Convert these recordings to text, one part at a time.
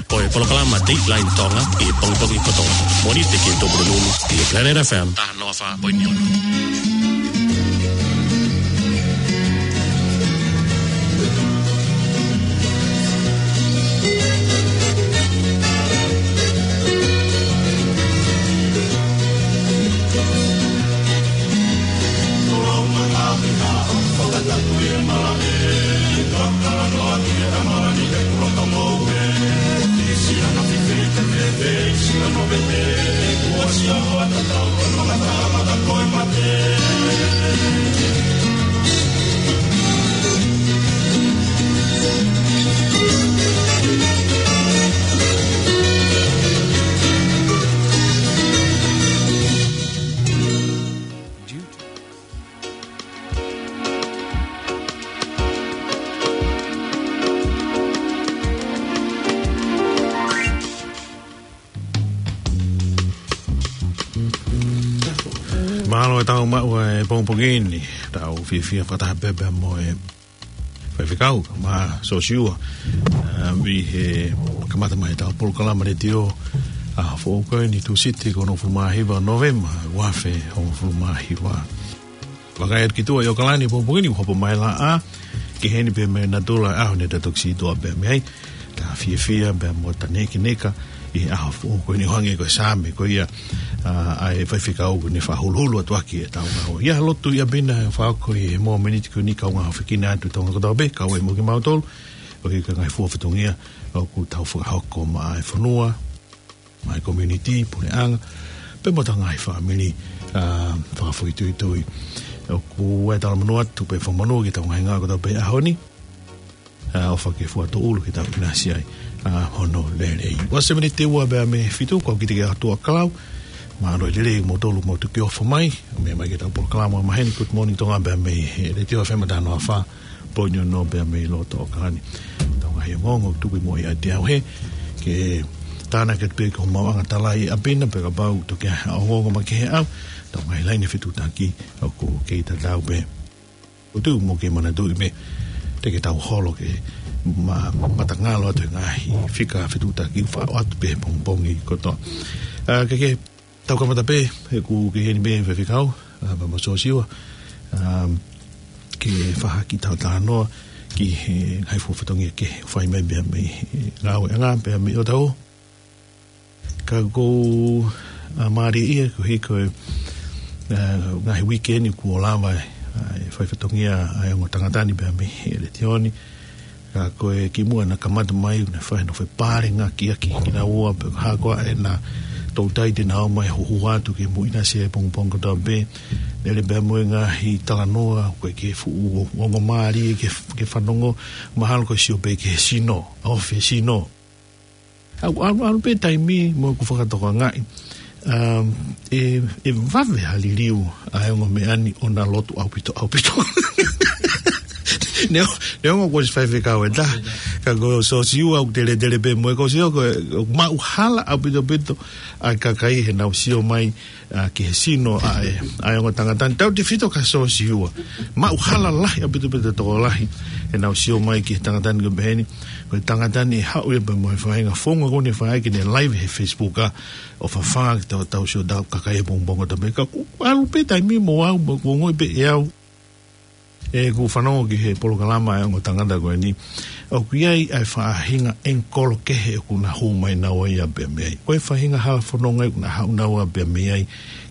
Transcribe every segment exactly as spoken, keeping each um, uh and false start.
Ko e polokalama Dateline Tonga ʻi he pongipongi kotoa. Mōnite ki he Tupulupulu ʻi he Planet F M. Taha noa fā poini ono. Mālō e tau maʻu e pongipongi ni, tau fiefia fakataha pē pea mo e faifekau, Mā Sosiua, ā, ʻi he kamata mai e tau polokalama letiō, ʻaho foʻou ko eni Tūsite ko e hongofulu mā hiva Nōvema, ua afe hongofulu mā hiva. Vakai atu ki tuʻa ʻi ʻOkalani pongipongi ni, hopo mai laʻā, ki heni pē mei natula ʻaho ni ta toki sītuʻa pē mei ai, ta fiefia pea mo ta nekeneka ʻi he ʻaho foʻou ko eni ʻo hangē ko e Saame ko ia, ā, ʻa e faifekau ko eni fakahuluhulu atu ʻaki e tau ngāue. ʻI he lotu ʻi ʻapi na fakahoko ʻi he mōmeniti ko eni kau ngāue fekina atu Tonga kotoa pē, kau ai mo kimautolu, ʻo hiki ngaahi fua fatongia, ʻoku tau fakahoko maʻa e fonua, maʻa e community, puleʻanga, pea mo ʻetau ngaahi fāmili, ā, fakafoʻituitui. ʻOku ʻai talamonū atu pea fakamonū ki he tau ngaahi ngāue kotoa pē ʻaho ni, ā, ʻofa ke fua tōʻulu ke tau ʻinasi ai, ā, hono lelei. Ua seventy-two pea mei he fitu, kau kitekite atu ʻa Kalau, mālō e lelei moutolu mo tuki ʻofa mai, meʻa mai ki he tau polokalama maheni, Good Morning Tonga pea mei he Letiō F M taha noa fā, poini ono pea mei loto ʻOkalani. Tau ngaahi ongoongo tuku mo ia te au he, ke tānaki atu pē ki homau ʻangatala ʻi ʻapi na pea kapau toki ʻi ai ha ongoongo makehe ʻaʻau, tau ngaahi laine fetuʻutaki ʻoku kei tatau pē. ʻOku ou tui mo ke manatuʻi pē, te ke tau holo ke ma-, matangalo atu he ngaahi fika fetuʻutaki ʻoku faʻo atu pē he pongipongi kotoa. Ā, ke, ke tau kamata pē, he ʻoku ke heni pē faifekau, ā, pea mo Sosiua, ā, ke fakahoko ʻetau talanoa ki he ngaahi fua fatongia kehe ʻoku fai mai pea mei he ngāueʻanga pea mei ʻOtahuhu. Ka ʻoku ou, ā, mālieʻia koeʻuhi ko e, ā, ngaahi uike ni kuo lava, ā, e fai fatongia ʻa e ongo tangata ni pea mei he Letiō ni. Ka ko e kimuʻa naʻa kamata mai, naʻe fai hano fepālangaʻaki ʻaki kinaua, pea ko e hā koā ʻena toutai te nau ō mai ʻo huhu atu ke mou ʻinasi he pongipongi kotoa pē. Lele pea mo e ngaahi talanoa, ko e ke fuʻu ongo mālie ke, ke fanongo, mahalo ko e sio pē ki he sino, ʻa e ofi sino. ʻAlu, ʻalu, ʻalu pē taimi mo ʻeku fakatokangaʻi. Um, ʻe, ʻe vave ha liliu ʻa e ongo meʻa ni ʻo na lotu ʻaupito, ʻaupito. Neongo, neongo kuo ʻosi faifekau ʻe taha. Ka ko Sosiua ʻoku tele, tele pē mo e ko Sio, ko e, ʻoku maʻu hala ʻaupito, ʻaupito ʻa e kakai heʻenau sio mai, ā, ki he sino ʻa e, ʻa e ongo tangata ni. Tautefito kia Sosiua. Maʻu hala lahi ʻaupito, ʻaupito tokolahi heʻenau sio mai ki he tangata ni ko e pehē ni. Ko e tangata ni ʻe haʻu ia pea mo e faʻahinga founga ko eni ʻe fai ai ʻene live he Facebook, ā, ʻo fafanga ki he tau, tau sio ʻetau kakai he pongipongi kotoa pē. Ka ʻoku ʻalu pē taimi mo au, mo ʻeku ongoʻi pē ʻe au, ʻeku fanongo ki he polokalama ʻa e ongo tangata ko eni, ʻoku ʻi ai ʻa e faʻahinga ʻengikolo kehe ʻoku na hū mai naua ia pea mei ai. Ko e faʻahinga hala fononga ʻoku na haʻu naua pea mei ai,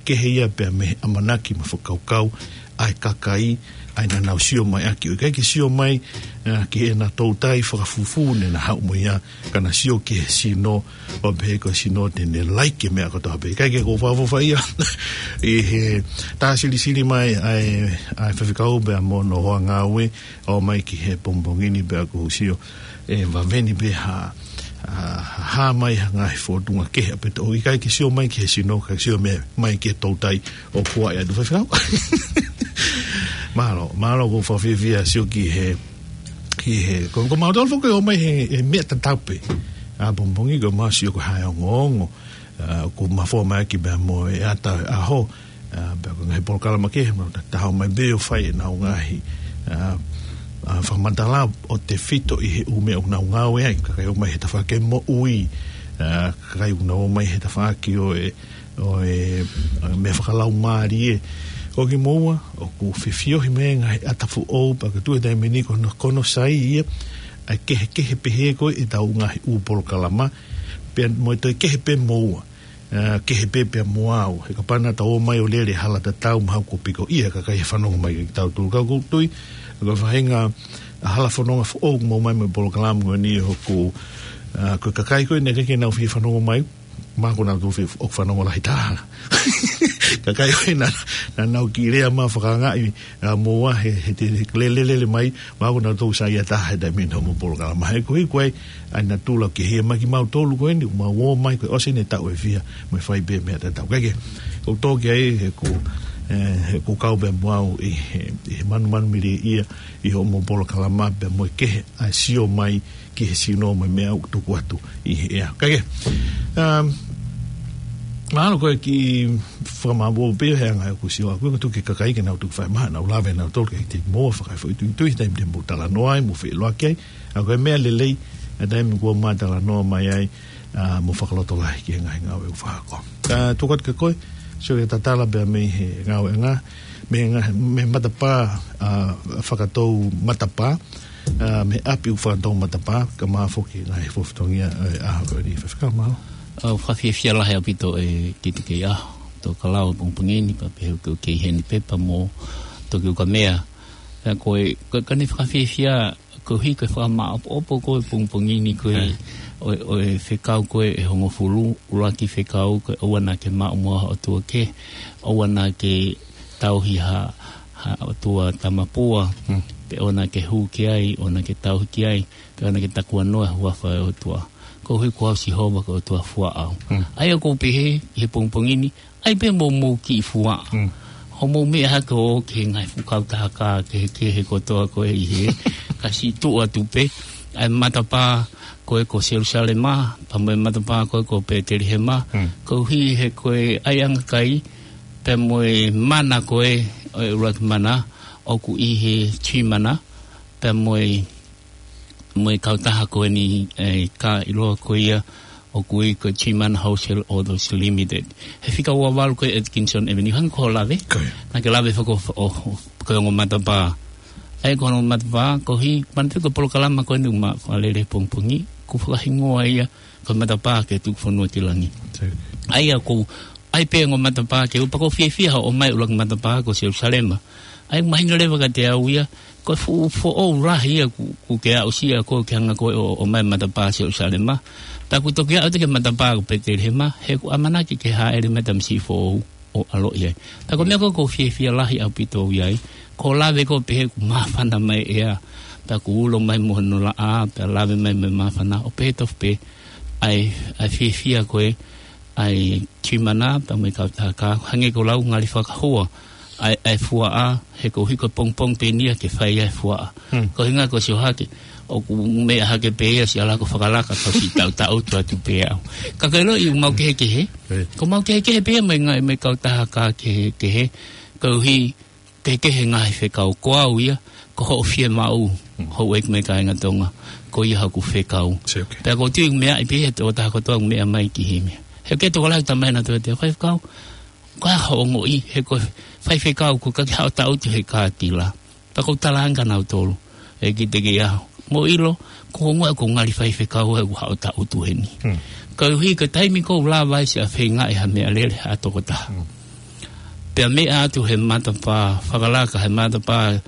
kehe ia pea mei he ʻamanaki mo e fakakaukau ʻa e kakai, ʻa ia naʻa nau sio mai ʻaki. ʻOku ʻikai ke sio mai, ā, ki heʻena toutai fakafufū naʻa na haʻu mo ia, ka na sio ki he sino, ʻo pehē ko e sino te ne laiki e meʻa kotoa pē. ʻIkai ke u fakaʻofoʻofa ia. ʻI he tā silisili mai ʻa e, ʻa e faifekau pea mo hono hoa ngāue, ʻo mai ki he pongipongi ni pea ʻoku ou sio, ʻe vave ni pē ha, ha, ha mai ha ngaahi fōtunga kehe ʻaupito. ʻOku ʻikai ke sio mai ki he sino, ka sio mai, mai ki he toutai ʻoku ʻi ai ʻa e faifekau. Mālō, mālō ʻoku ou fakafiefia sio ki he, ki he, ko, ko mautolu foki ʻoku ō mai he, he meʻa tatau pē. ʻA pongipongi ko e masi ʻoku hā e ongoongo, ā, ʻoku mafoa mai ʻaki pea mo e ata ʻaho, ā, pea ko e ngaahi polokalama kehe, mo ta taha ō mai pē ʻo fai ʻenau ngaahi, ā, ʻa, fakamatala ʻo tefito ʻi he ʻū meʻa ʻoku nau ngāue ai, kakai ʻoku ō mai he tafaʻaki moʻui, ʻa, kakai ʻoku nau ō mai he tafaʻaki ʻo e, ʻo e, ʻa, meʻa fakalaumālie. Ko kimoua, ʻoku fefiohi mai e ngaahi ʻata foʻou, pea ko e tuʻu he taimi ni ko hono, ko hono sai ia, ʻa e kehekehe pehē ko ē ʻetau ngaahi ʻū polokalama, pea mo e toe kehe pē moua. ʻA, kehe pē pea mo au. He kapau naʻa tau ō mai ʻo lele hala tatau mahalo kuo piko ia kakai he fanongo mai kia kitautolu. Ka ʻoku ou tui, ko e faʻahinga ʻa e hala fononga foʻou ʻoku mou ō mai mo e polokalama ko eni ʻoku, ʻa, ko e kakai ko ē naʻe ʻikai ke nau fie fanongo mai, mahalo ko nautolu fie ʻoku fanongo lahi taha. Kakai ko ē naʻa, naʻa nau kiʻi lea mai fakaangaʻi ʻa, moua he, he te, he lele, lele mai, mahalo ko nautolu saiʻia taha he taimi ni ʻo e polokalama. He ko e, ko e, ʻa e natula ke hia mai kimautolu ko eni, mau ō mai ko e ʻosi eni e taʻu ʻe fiha, mo e fai pē meʻa tatau. Kae kehe, ʻoku ou tō ki ai he ʻoku, ʻe, he ʻoku kau pē mo au ʻi he, ʻi he manumanu mili ia, ʻi hoʻomou polokalama pea mo e kehe, ʻa e sio mai, ki he sino mo e meʻa ʻoku tuku atu ʻi he ʻea. Kae kehe, um, mahalo ko e kiʻi fakamāʻopoʻopo pē he anga ʻoku sio ʻaku, ko e tuku ki he kakai ke nau tuku fai mai, nau lave nautolu ke te mou fakafoʻituitui he taimi te mou talanoa ai, mou feʻiloaki ai. ʻA ko e meʻa lelei, ʻa e taimi kuo mou talanoa mai ai, ʻa, mou fakalotolahi ki he ngaahi ngāue ʻoku fakahoko. Ka tuku atu kia koe, sio ki he tatala pea mei he ngāueʻanga, mei he ngaahi, mei he matapā, ʻa, fakatou matapā, ʻa, mei he ʻapi ʻoku fakatou matapā, kae ʻumaʻā foki e ngaahi fatongia, ʻa, ʻa, ko eni Faifekau, mālō. ʻOku ou fakafiefia lahi ʻaupito ʻe Kite Keiʻaho, Tokelau he pongipongi ni, pea pehē ʻoku kei heni pē pea mo Toki Ukamea. Pea ko e, ko e, ko ʻene fakafiefia, koeʻuhi ko e fakamāʻopoʻopo ko ē he pongipongi ni ko ē, ʻa e, ʻo e, ʻo e fekau ko ē ʻe hongofulu, ʻuluaki fekau ko e ʻoua naʻa ke maʻu mo ha ʻotua kehe, ʻoua naʻa ke tauhi ha, ha ʻotua tamapua, Mm. pe ʻoua naʻa ke hū ki ai, ʻoua naʻa ke tauhi ki ai, pe ʻoua naʻa ke takuanoa he huafa ʻo e ʻOtua. Koeʻuhi ko au Sihova ko e ʻOtua fuaʻau. Mm. ʻA ia ʻoku ou pehē, ʻi he pongipongi ni, ʻai pē mo mou kiʻi fuaʻa. Mm. Hoʻomou meʻa hake ʻo ō ki he ngaahi fuʻu kautaha kā kehekehe kotoa ko ē ʻi hē. Ka siʻi tuʻu atu pē, ʻa e matapā ko ē ko Selusalema, pea mo e matapā ko ē ko Petelihema, Mm. koeʻuhi he ko e ʻaiʻanga kai, pea mo e mana ko ē, ʻo e ʻuluaki mana, ʻoku ʻi he tui mana, pea mo e mo e kautaha ko eni, ʻe, ka ʻiloa ko ia ʻoku ui ko e Tui Mana Wholesale Autos Limited. He fika ua valu ko e Atkinson Avenue, hangē ko hoʻo lave. Ko ia. Naʻa ke lave faka-, ʻo, ʻo, ko e ongo matapā. ʻA ia ko e ongo matapā, koeʻuhi, manatuʻi ko e polokalama ko eni ʻoku ma fakalele he pongipongi, ʻoku fakahingoa ia, ko e matapā ke tuku fonua ki langi. Sio. ʻA ia ʻoku ʻai pē ongo matapā ke ʻupa, ʻoku ou fiefia hoʻo ʻomai ʻuluaki matapā ko Selusalema. ʻA ia ʻoku mahino leva kiate au ia, ko e fuʻu foʻou lahi ia ʻoku, ʻoku ke aʻusia ko ē ke hanga ko ē ʻo, ʻomai matapā Selusalema. Pea ʻoku toki aʻu atu ki he matapā ko Petelihema, he ʻoku ʻamanaki ke hāʻele mai e tamasiʻi foʻou ʻo ʻaloʻi ai. Pea ko e meʻa ko ē ʻoku ou fiefia lahi ʻaupito au ʻi ai, ko e lave ko ē pehē ʻoku māfana mai e ʻea, pea ʻoku ulo mai mo hono laʻā, pea lave mai mo e māfana, ʻo pehē tofu pē, ʻa e, ʻa e fiefia ko ē, ʻa e Tui Mana, pea mo e kautaha kā, hangē ko e lau ngali fakahua, ʻa e, ʻa e fuaʻa, he koeʻuhi ko e pongipongi pē eni ia ke fai ai e fuaʻa. Hmm. Ko e ʻuhinga ko e sio hake, ʻoku meʻa hake pē ia siʻa lako fakalaka ka siʻi taʻutaʻutu atu pē au. Ka ko e ʻilo ʻoku mau kehekehe, Ē. ʻoku mau kehekehe pē ia mo e ngaahi, mo e kautaha kā kehekehe, koeʻuhi kehekehe e ngaahi fekau, ko au ia, ko hoʻo fiemaʻu, Hmm. houʻeiki mo e kāinga Tonga, ko ia hoku fekau. Sio, okay. Pea ʻoku ou tui ʻoku meaʻi pē ia he tokotaha kotoa ʻoku meʻa mai ki himi. He ʻoku ʻi ai e tokolahi ʻoku talamai nautolu ʻe he faifekau, ko e hā hoʻo ongoʻi, he ko e faifekau ʻoku ʻikai ke haʻu ʻo taʻutu he kātila. Pea ʻoku ou talaange kia nautolu, ʻe Kite Keiʻaho, mou ʻilo, ʻoku ou ongoʻi ʻoku ou ngali faifekau ʻi heʻeku haʻu ʻo taʻutu heni. Hmm. Koeʻuhi ko e taimi ʻoku ou lava ai siʻa feingaʻi ha meʻalele ha tokotaha. Hmm. Pea meʻa atu he matapā fakalaka, he matapā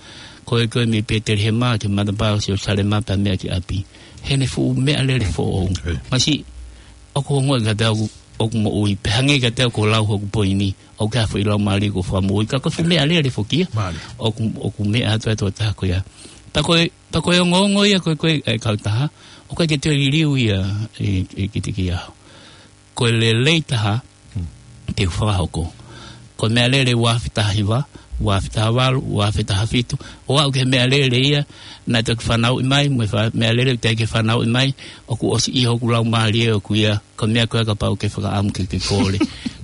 ko ē ko ē mei Petelihema ki he matapā Selusalema pea meʻa ki ʻapi. Heʻene fuʻu meʻalele foʻou. Hmm. Masiʻi, ʻoku ou ongoʻi kiate au ʻoku moʻui, pea hangē kiate au ko e lau hoku poini, ʻoku ʻi ai e foʻi laumālie ʻoku fakamoʻui, ka ko e fuʻu meʻalele foki ia. Mālie. ʻOku, ʻoku meʻa atu e tokotaha ko ia. Pea ko e, pea ko e ongoongo ia ko ē, ko e, ʻa e kautaha, ʻoku ʻikai ke toe liliu ia ʻe, ʻe Kite Keiʻaho. Ko e lelei taha, Hmm. te u fakahoko. Ko e meʻalele ua afe taha hiva, ua afe taha valu, ua afe taha fitu, ʻo aʻu ki he meʻalele ia naʻe toki fanauʻi mai, mo e fa-, meʻalele ʻoku teʻeki ke fanauʻi mai, ʻoku ʻosi ʻi hoku laumālie ʻoku ʻi ai, ko e meʻa ko ē kapau ʻoku ke fakaʻamu ke ke kole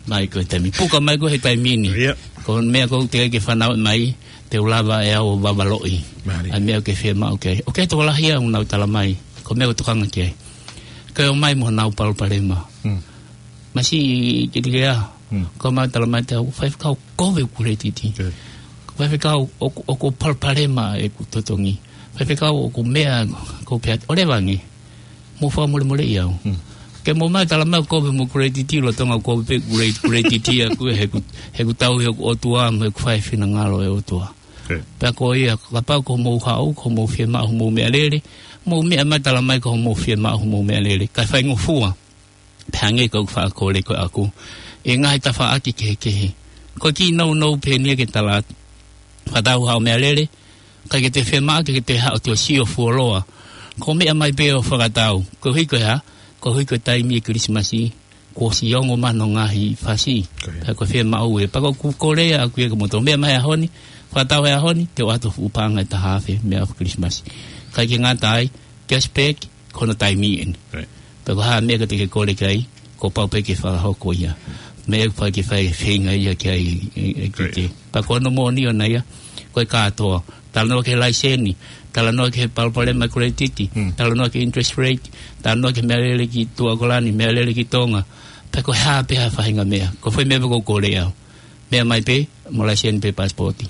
mai ko e taimi. Puka mai koe he taimi ni. Ia. Ko e meʻa ʻoku teʻeki ke fanauʻi mai, te u lava ʻe au ʻo vavaloʻi ʻa e meʻa ʻoku ke fiemaʻu ki ai. ʻOku ʻi ai e tokolahi ia ʻoku nau tala mai, ko e meʻa ʻoku tokanga ki ai, ke ō mai mo honau palopalema. Masiʻi kilikea, ko e meʻa ʻoku tala mai, te u faifekau, kovi ʻeku kuletiti. Ko e faifekau ʻoku, ʻoku palopalema ʻeku totongi. Faifekau, ʻoku meʻa, ko pea ʻo leva ange, mou fakamolemoleʻi au. Ke mou ō mai ʻo tala mai ʻoku kovi mo kuletiti, lolotonga ʻoku kovi pē kuletiti ʻaʻaku, he ʻoku, he ʻoku tauhi hoku ʻOtua mo ʻeku fai e finangalo ʻo e ʻOtua. Pea ko ia, kapau ko hoʻomou haʻu, ko hoʻomou fiemaʻu hoʻomou meʻalele, mou meʻa mai ʻo tala mai ko hoʻomou fiemaʻu hoʻomou meʻalele, kae faingofua. Pea hangē ko ʻeku faʻa kole ko ʻaʻaku ʻi he ngaahi tafaʻaki kehekehe. Ko e kiʻi nounou pē eni ia ke tala atu, fakatau haʻo meʻalele, ʻikai ke te fiemaʻu ke te haʻu ʻo toe sio fuoloa. Ko e meʻa mai pē ʻo fakatau. Koeʻuhi ko e hā? Koeʻuhi ko e taimi ʻo e Kilisimasi, kuo ʻosi ongo mai hono ngaahi fasi. Pea ko e fiemaʻu ē. Pea ko ʻeku kole ʻaʻaku ia kiate kimoutolu, meʻa mai he ʻaho ni, fakatau he ʻaho ni, te u ʻoatu fuʻu paʻanga ʻe taha afe meʻa ʻo e Kilisimasi. ʻIkai ke ngata ai, cashback, ko hono taimi eni. Pea ko e hā e meʻa ʻoku te ke kole ki ai, kuo pau pē ke fakahoko ia. Meʻa ʻoku pau ke fai e feinga ia ki ai ʻe, ʻe, ʻe kite. Pea ko hono moʻoni ʻona ia, ko e kātoa. Talanoa ki he laiseni, talanoa ki he palopalema ʻo e kuletiti, talanoa ki he interest rate, talanoa ki he meʻalele ki Tuʻakolani, meʻalele ki Tonga. Pea ko e hā pē ha faʻahinga meʻa. Ko e foʻi meʻa pē ʻoku ou kole au, meʻa mai pē mo e laiseni pe pasipoti.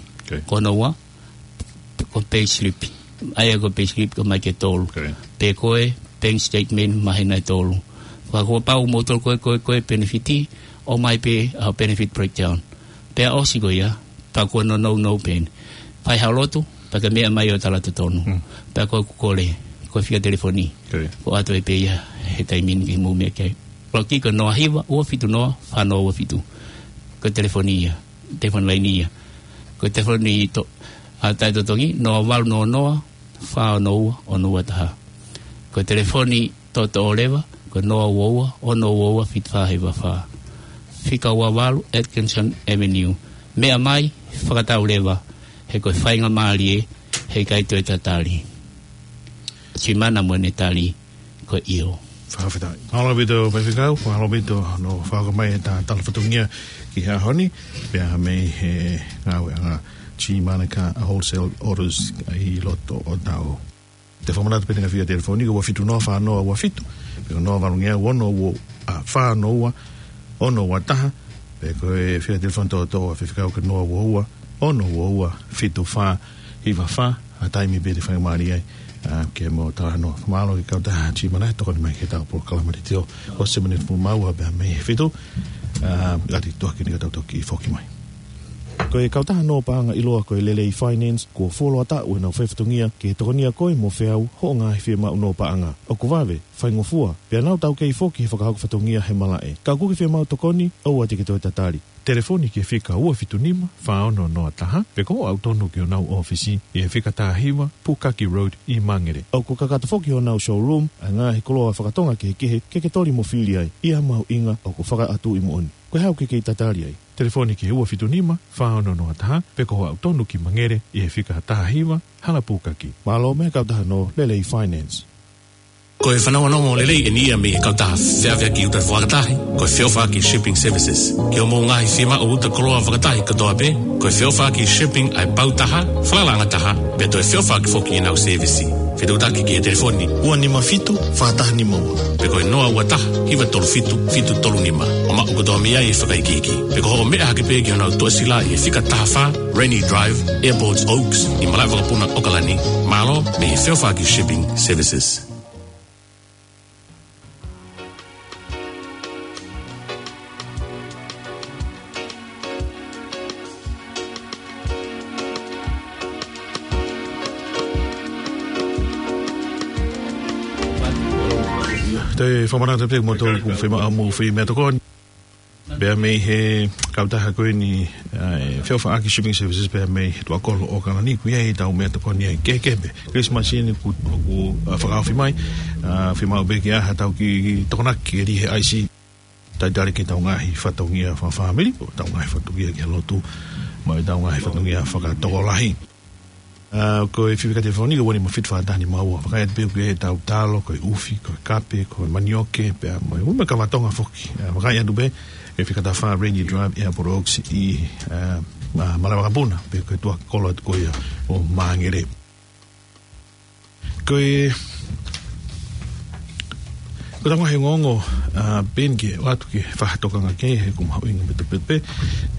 Ko hono ua, ko e payslip. ʻA ia ko e payslip ʻoku ʻomai ke tolu. Pe ko e bank statement māhina ʻe tolu. Pea kuo pau moutolu ko e, ko e, ko e penefiti, ʻomai pē ʻa e benefit breakdown. Pea ʻosi ko ia, pea ko hono nounou pē eni. Fai haʻo lotu, pea ke meʻa mai ʻo tala totonu. Pea ko ʻeku kole, ko e fika telefoni, ʻoku ʻoatu pē ia he taimi ni ke mou meʻa ki ai. Loki ko e noa hiva ua fitu noa fā noa ua fitu. Ko e telefoni ia, telefoni laini ia. Ko e telefoni to-, ʻa e taʻetotongi, noa valu noa noa fā ono ua ono ua taha. Ko e telefoni toʻotoʻo leva, ko e noa ua ua ono ua ua fitu fā hiva fā. Fika ua valu Atkinson Avenue. Meʻa mai, fakatau leva, he ko e faingamālie, heʻikai toe tatali. Tuʻi mai mo ʻene tali, ko e ʻio. Fakafetaʻi. Mālō ʻaupito, faifekau, mālō ʻaupito hono fakahoko mai ʻeta tala fatongia ki he ʻaho ni, pea mei he ngāueʻanga G Manukau Wholesale Autos ʻi loto ʻo Taʻau. Te u fakamanatu pē ʻa e fika telefoni, ko e ua fitu noa fā noa ua fitu, pe ko e noa valu ngeau ono ua, ʻa, fā ono ua ono ua taha, pe ko e fika telefoni toʻotoʻo ʻa e faifekau ko e noa ua ua ono ua ua fitu fā hiva fā, ʻa e taimi pē te faingamālie ai, ʻa, ke mou talanoa. Mālō ki he kautaha G Manukau, tokoni mai ki heʻetau polokalama leitiō, ʻosi e miniti hongofulu mā ua pea mei he fitu, ʻa, ʻoatu e tuʻuaki ni ka tau toki foki mai. Ko e kautaha nō paʻanga ʻiloa ko e Lelei Finance, kuo fuoloa taʻu ʻenau faifatongia ke tokonia koe mo feau hoʻo ngaahi fiemaʻu nō paʻanga. ʻOku vave, faingofua, pea nau taukei foki he fakahoko fatongia he malaʻe. Ka ʻoku ke fiemaʻu tokoni, ʻoua te ke toe tatali. Telefoni ki he fika ua fitu nima fā ono noa taha, pe ko hoʻo aʻu tonu ki honau ʻōfisi ʻi he fika taha hiva Pukaki Road ʻi Mangere. ʻOku kakato foki honau showroom ʻa e ngaahi koloa fakatonga kehekehe ke ke toli mo fili ai, ʻi ha mahuʻinga ʻoku fakaʻatu ʻi moʻoni. Ko e hā ʻoku ke kei tatali ai? Telefoni ki he ua fitu nima fā ono noa taha, pe ko hoʻo aʻu tonu ki Mangere ʻi he fika taha hiva Hala Pukaki. Mālō mei he kautaha nō Lelei Finance. Ko e fanongonongo lelei eni ia mei he kautaha feʻaveʻaki ʻuta fakatahi, ko e Feʻofaʻaki Shipping Services. Ki hoʻomou ngaahi fiemaʻu ʻuta koloa fakatahi kotoa pē, ko e Feʻofaʻaki Shipping ʻa e pau taha, falalaʻanga taha, pea toe feʻofaʻaki foki ʻenau sēvisi. Fetuʻutaki ki he telefoni ua nima fitu fā taha nima ua, pe ko e noa ua taha hiva tolu fitu fitu tolu nima. ʻO maʻu kotoa mei ai e fakaikiiki. Pe ko hoʻo meʻa hake pē ki honau toʻesila ʻi he fika taha fā Rainy Drive, Airport Oaks, ʻi malaʻe vakapuna ʻAokalani. Mālō mei he Feʻofaʻaki Shipping Services. Te u fakamanatu pē kimoutolu ʻoku fiemaʻu hoʻomou fai meʻatokoni pea mei he kautaha ko eni, ʻa e Feʻofaʻaki Shipping Services pea mei he Tuʻakolo ʻAokalani, ʻoku ʻi ai ʻetau meʻatokoni ia kehekehe pē. Kilisimasi ni ʻoku, ʻoku, ʻa, fakaofi mai, ʻa, fiemaʻu pē ke ʻi ai haʻatau kiʻi tokonaki ke lī he ʻaisi. Talitali ki heʻetau ngaahi fatongia fakafāmili, ʻetau ngaahi fatongia ki he lotu, mo ʻetau ngaahi fatongia fakatokolahi. ʻA, ko e fika telefoni ko e ua nima fitu fā taha nima ua. Vakai atu pē ʻoku ʻi ai ʻetau talo, ko e ʻufi, ko e kape, ko e manioke, pea mo e, mo e kava Tonga foki. ʻA, vakai atu pē he fika taha fā Rainy Drive, Airport Oaks ʻi, ʻa, ma-, Malae Vakapuna, pe ko e tuʻa kolo atu ko ia ʻo Māngere. Ko e, ko e tau ngaahi ongoongo, ʻa, pē eni ke ʻoatu ke fakatokanga ki ai he ʻoku mahuʻinga pē, pē, pē,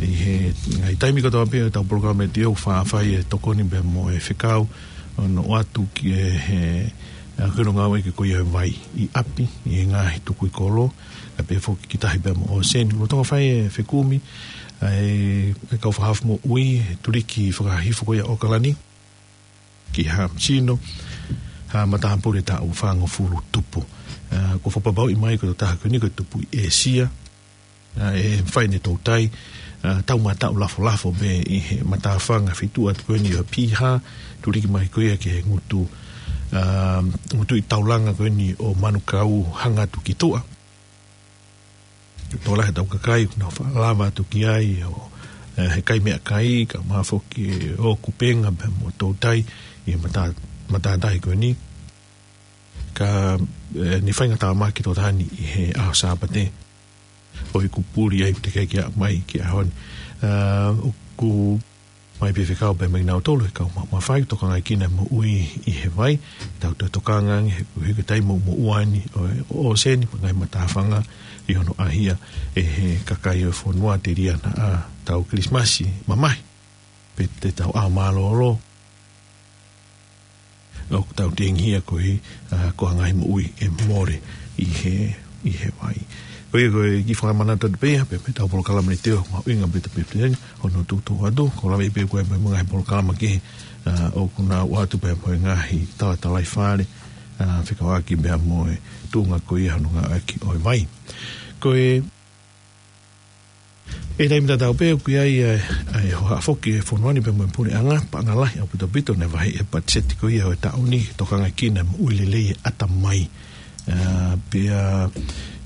ʻi he ngaahi taimi kotoa pē ʻo ʻetau polokalama ʻe tio fa-, fai e tokoni pea mo e fekau, ʻo nau ʻoatu ki he, ʻa, ko e ngāue ko ia ʻo e vai ʻi ʻapi, ʻi he ngaahi tukui kolo, ʻa, pea foki ki tahi pea mo ʻōseni. Lolotonga fai e fekumi, ʻa, ʻe, ʻe kau fakahaofi moʻui, tuliki fakahihifo ko ia ʻAokalani ki Haʻamasino, ha matāpule taʻu fāngofulu tupu. ʻA, kuo fakapapauʻi mai ko e tokotaha ko eni ko e tupu ʻi ʻĒsia, ʻa, ʻe fai ʻene toutai, ʻa, taumātaʻu lafolafo pē ʻi he matāfanga feituʻu atu ko eni ʻo Piha, tuliki mai ko ia ki he ngutu, ʻa, ngutu ʻi taulanga ko eni ʻo Manukau hanga atu ki tuʻa. Tokolahi ʻetau kakai, ʻoku nau faʻa lava atu ki ai, ʻo, ʻe, he kai meʻakai, kae ʻumaʻā foki ʻo kupenga pea mo toutai, ʻi he mata-, matātahi ko eni. Ka, ʻe, ne faingatāmaki tokotahani ʻi he ʻaho Sāpate. ʻOku puli ai te ke kia mai ki he ʻaho ni. ʻA, ʻoku mai pē fekau pē mai nautolu, he kau ma-, mafai tokangaʻi kina moʻui ʻi he vai, tau toe tokanga ange, he, he ko e taimi moʻua eni, ʻo, ʻo ʻōseni, mo e ngaahi matāfanga, ʻi hono ʻahia, ʻe he kakai ʻo e fonua telia naʻa tau Kilisimasi mamahi, pe te tau ʻaho mālōlō. ʻOku tau tengihia ko e, ʻa, ko e ngaahi moʻui ʻe mole ʻi he, ʻi he vai. Ko ia ko e kiʻi fakamanatu atu pē ia, pea mei heʻetau polokalama ʻe tio, mahuʻinga pē te pepteni, ʻo nau tuʻu atu, ko e lave pē ko e mo e ngaahi polokalama kehe, ʻa, ʻoku nau ʻoatu pē mo e ngaahi talatalaifale, ʻa, fekauʻaki pea mo e tuʻunga ko ia hono ngāueʻaki ʻo e vai. Ko e ʻI he taimi tatau pē ʻoku ʻi ai, ʻa, ʻa e hohaʻa foki e fonua ni pea mo e puleʻanga, paʻanga lahi ʻaupito ʻaupito naʻe vaheʻi he patiseti ko ia ʻo e taʻu ni, tokangaʻi kina moʻui lelei e ʻatamai. ʻA, pea,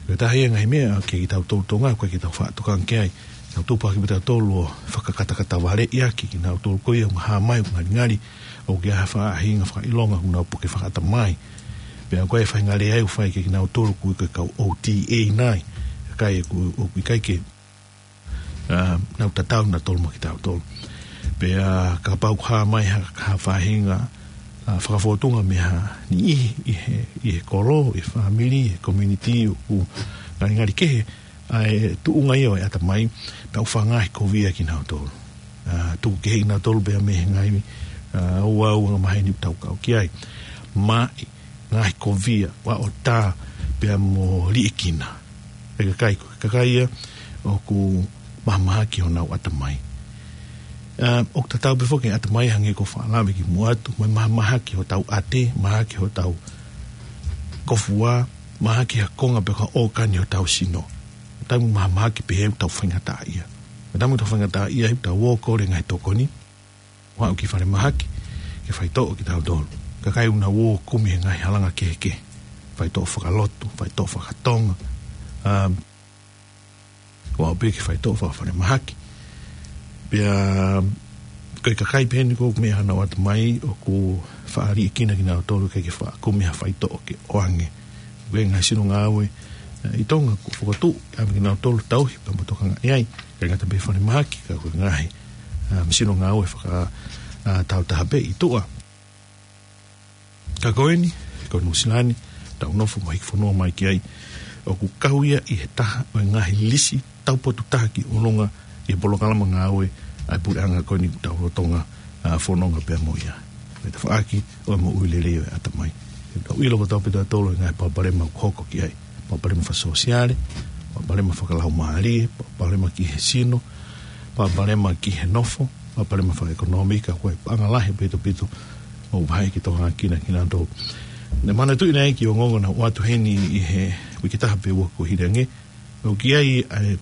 ko e taha ia e ngaahi meʻa ke kitautolu Tonga, ko e ke tau faʻa tokanga ki ai. Tau tupu hake pē tautolu ʻo fakakatakatavaleʻi ʻaki kinautolu ko ia ʻoku hā mai ʻoku ngalingali, ʻoku ʻi ai ha faʻahinga fakaʻilonga ʻoku nau puke fakaʻatamai. Pea ko e faʻahinga lea ʻoku fai kia kinautolu ko e kau O T A nai. Kakai ʻoku, ʻoku ʻikai ke, ʻa, nau tatau nautolu mo kitautolu. Pea kapau ʻoku hā mai ha, ha faʻahinga, ʻa, fakafōtunga mei ha niʻihi ʻi he, ʻi he kolo, ʻi he fāmili, ʻi he community, ʻoku ngalingali kehe ʻa e tuʻunga ia ʻo e ʻatamai, pea ʻoku faʻa ngaohikovia kinautolu. ʻA, tuku kehe kinautolu pea mei he ngaahi, ʻa, ʻū, ʻū angamaheni ʻoku tau kau ki ai. Maʻi, ngaohikovia, vaʻo tā, pea mo liʻekina. Pea kakai ko, kakai ia ʻoku mahamahaki honau ʻatamai. ʻA, ʻoku tatau pē foki e ʻatamai hangē ko e faʻa lave kimuʻa atu, mo e mahamahaki hotau ʻate, mahaki hotau kōfua, mahaki ha konga pe ko ha ʻōkani hotau sino. Taimi ʻoku mahamahaki pehē ʻoku tau faingataʻaʻia. Taimi ʻoku tau faingataʻaʻia ʻoku tau ō ʻo kole ngaahi tokoni, ʻo aʻu ki falemahaki, ke faitoʻo kitautolu. Kakai ʻoku nau ō ʻo kumi he ngaahi halanga kehekehe. Faitoʻo fakalotu, faitoʻo fakatonga. ʻA, ʻo aʻu pē ke faitoʻo fakafalemahaki. Pea, ko e kakai pē eni ʻoku meʻa honau ʻatamai ʻoku faʻa liʻekina kinautolu ke ke faʻa kumi ha faitoʻo ke ʻoange. Ko e ngaahi sino ngāue, ʻa, ʻi Tonga ʻoku fokotuʻu, ʻa, mei kinautolu tauhi, pea mo tokangaʻi ai. ʻIkai ngata pē falemahaki, ka ko e ngaahi, ʻa, sino ngāue faka, ʻa, tau taha pē ʻi tuʻa. Ka ko eni, ko Nuʻusila ni, tau nofo mo hiki fonua mai ki ai, ʻoku kau ia ʻi he taha ʻo e ngaahi lisi taupotu taha ki ʻolunga ʻi he polokalama ngāue ʻa e puleʻanga ko eni ʻoku tau lolotonga, ʻa, fononga pea mo ia. Mei he tafaʻaki ʻo e moʻui lelei ʻo e ʻatamai. He tau ʻilo kotoa pē tautolu e ngaahi palopalema ʻoku hoko ki ai. Palopalema fakasōsiale, palopalema fakalaumālie, palopalema ki he sino, palopalema ki he nofo, palopalema fakaʻekonōmika, ko e paʻanga lahi ʻaupito ʻaupito ʻoku vaheʻi ke tokangaʻi kinautolu. Naʻe manatuʻi naʻe ʻi ai e kiʻi ongoongo naʻe ʻoatu heni ʻi he uike taha pe ua kuo hili ange, ʻoku ʻi ai ʻa e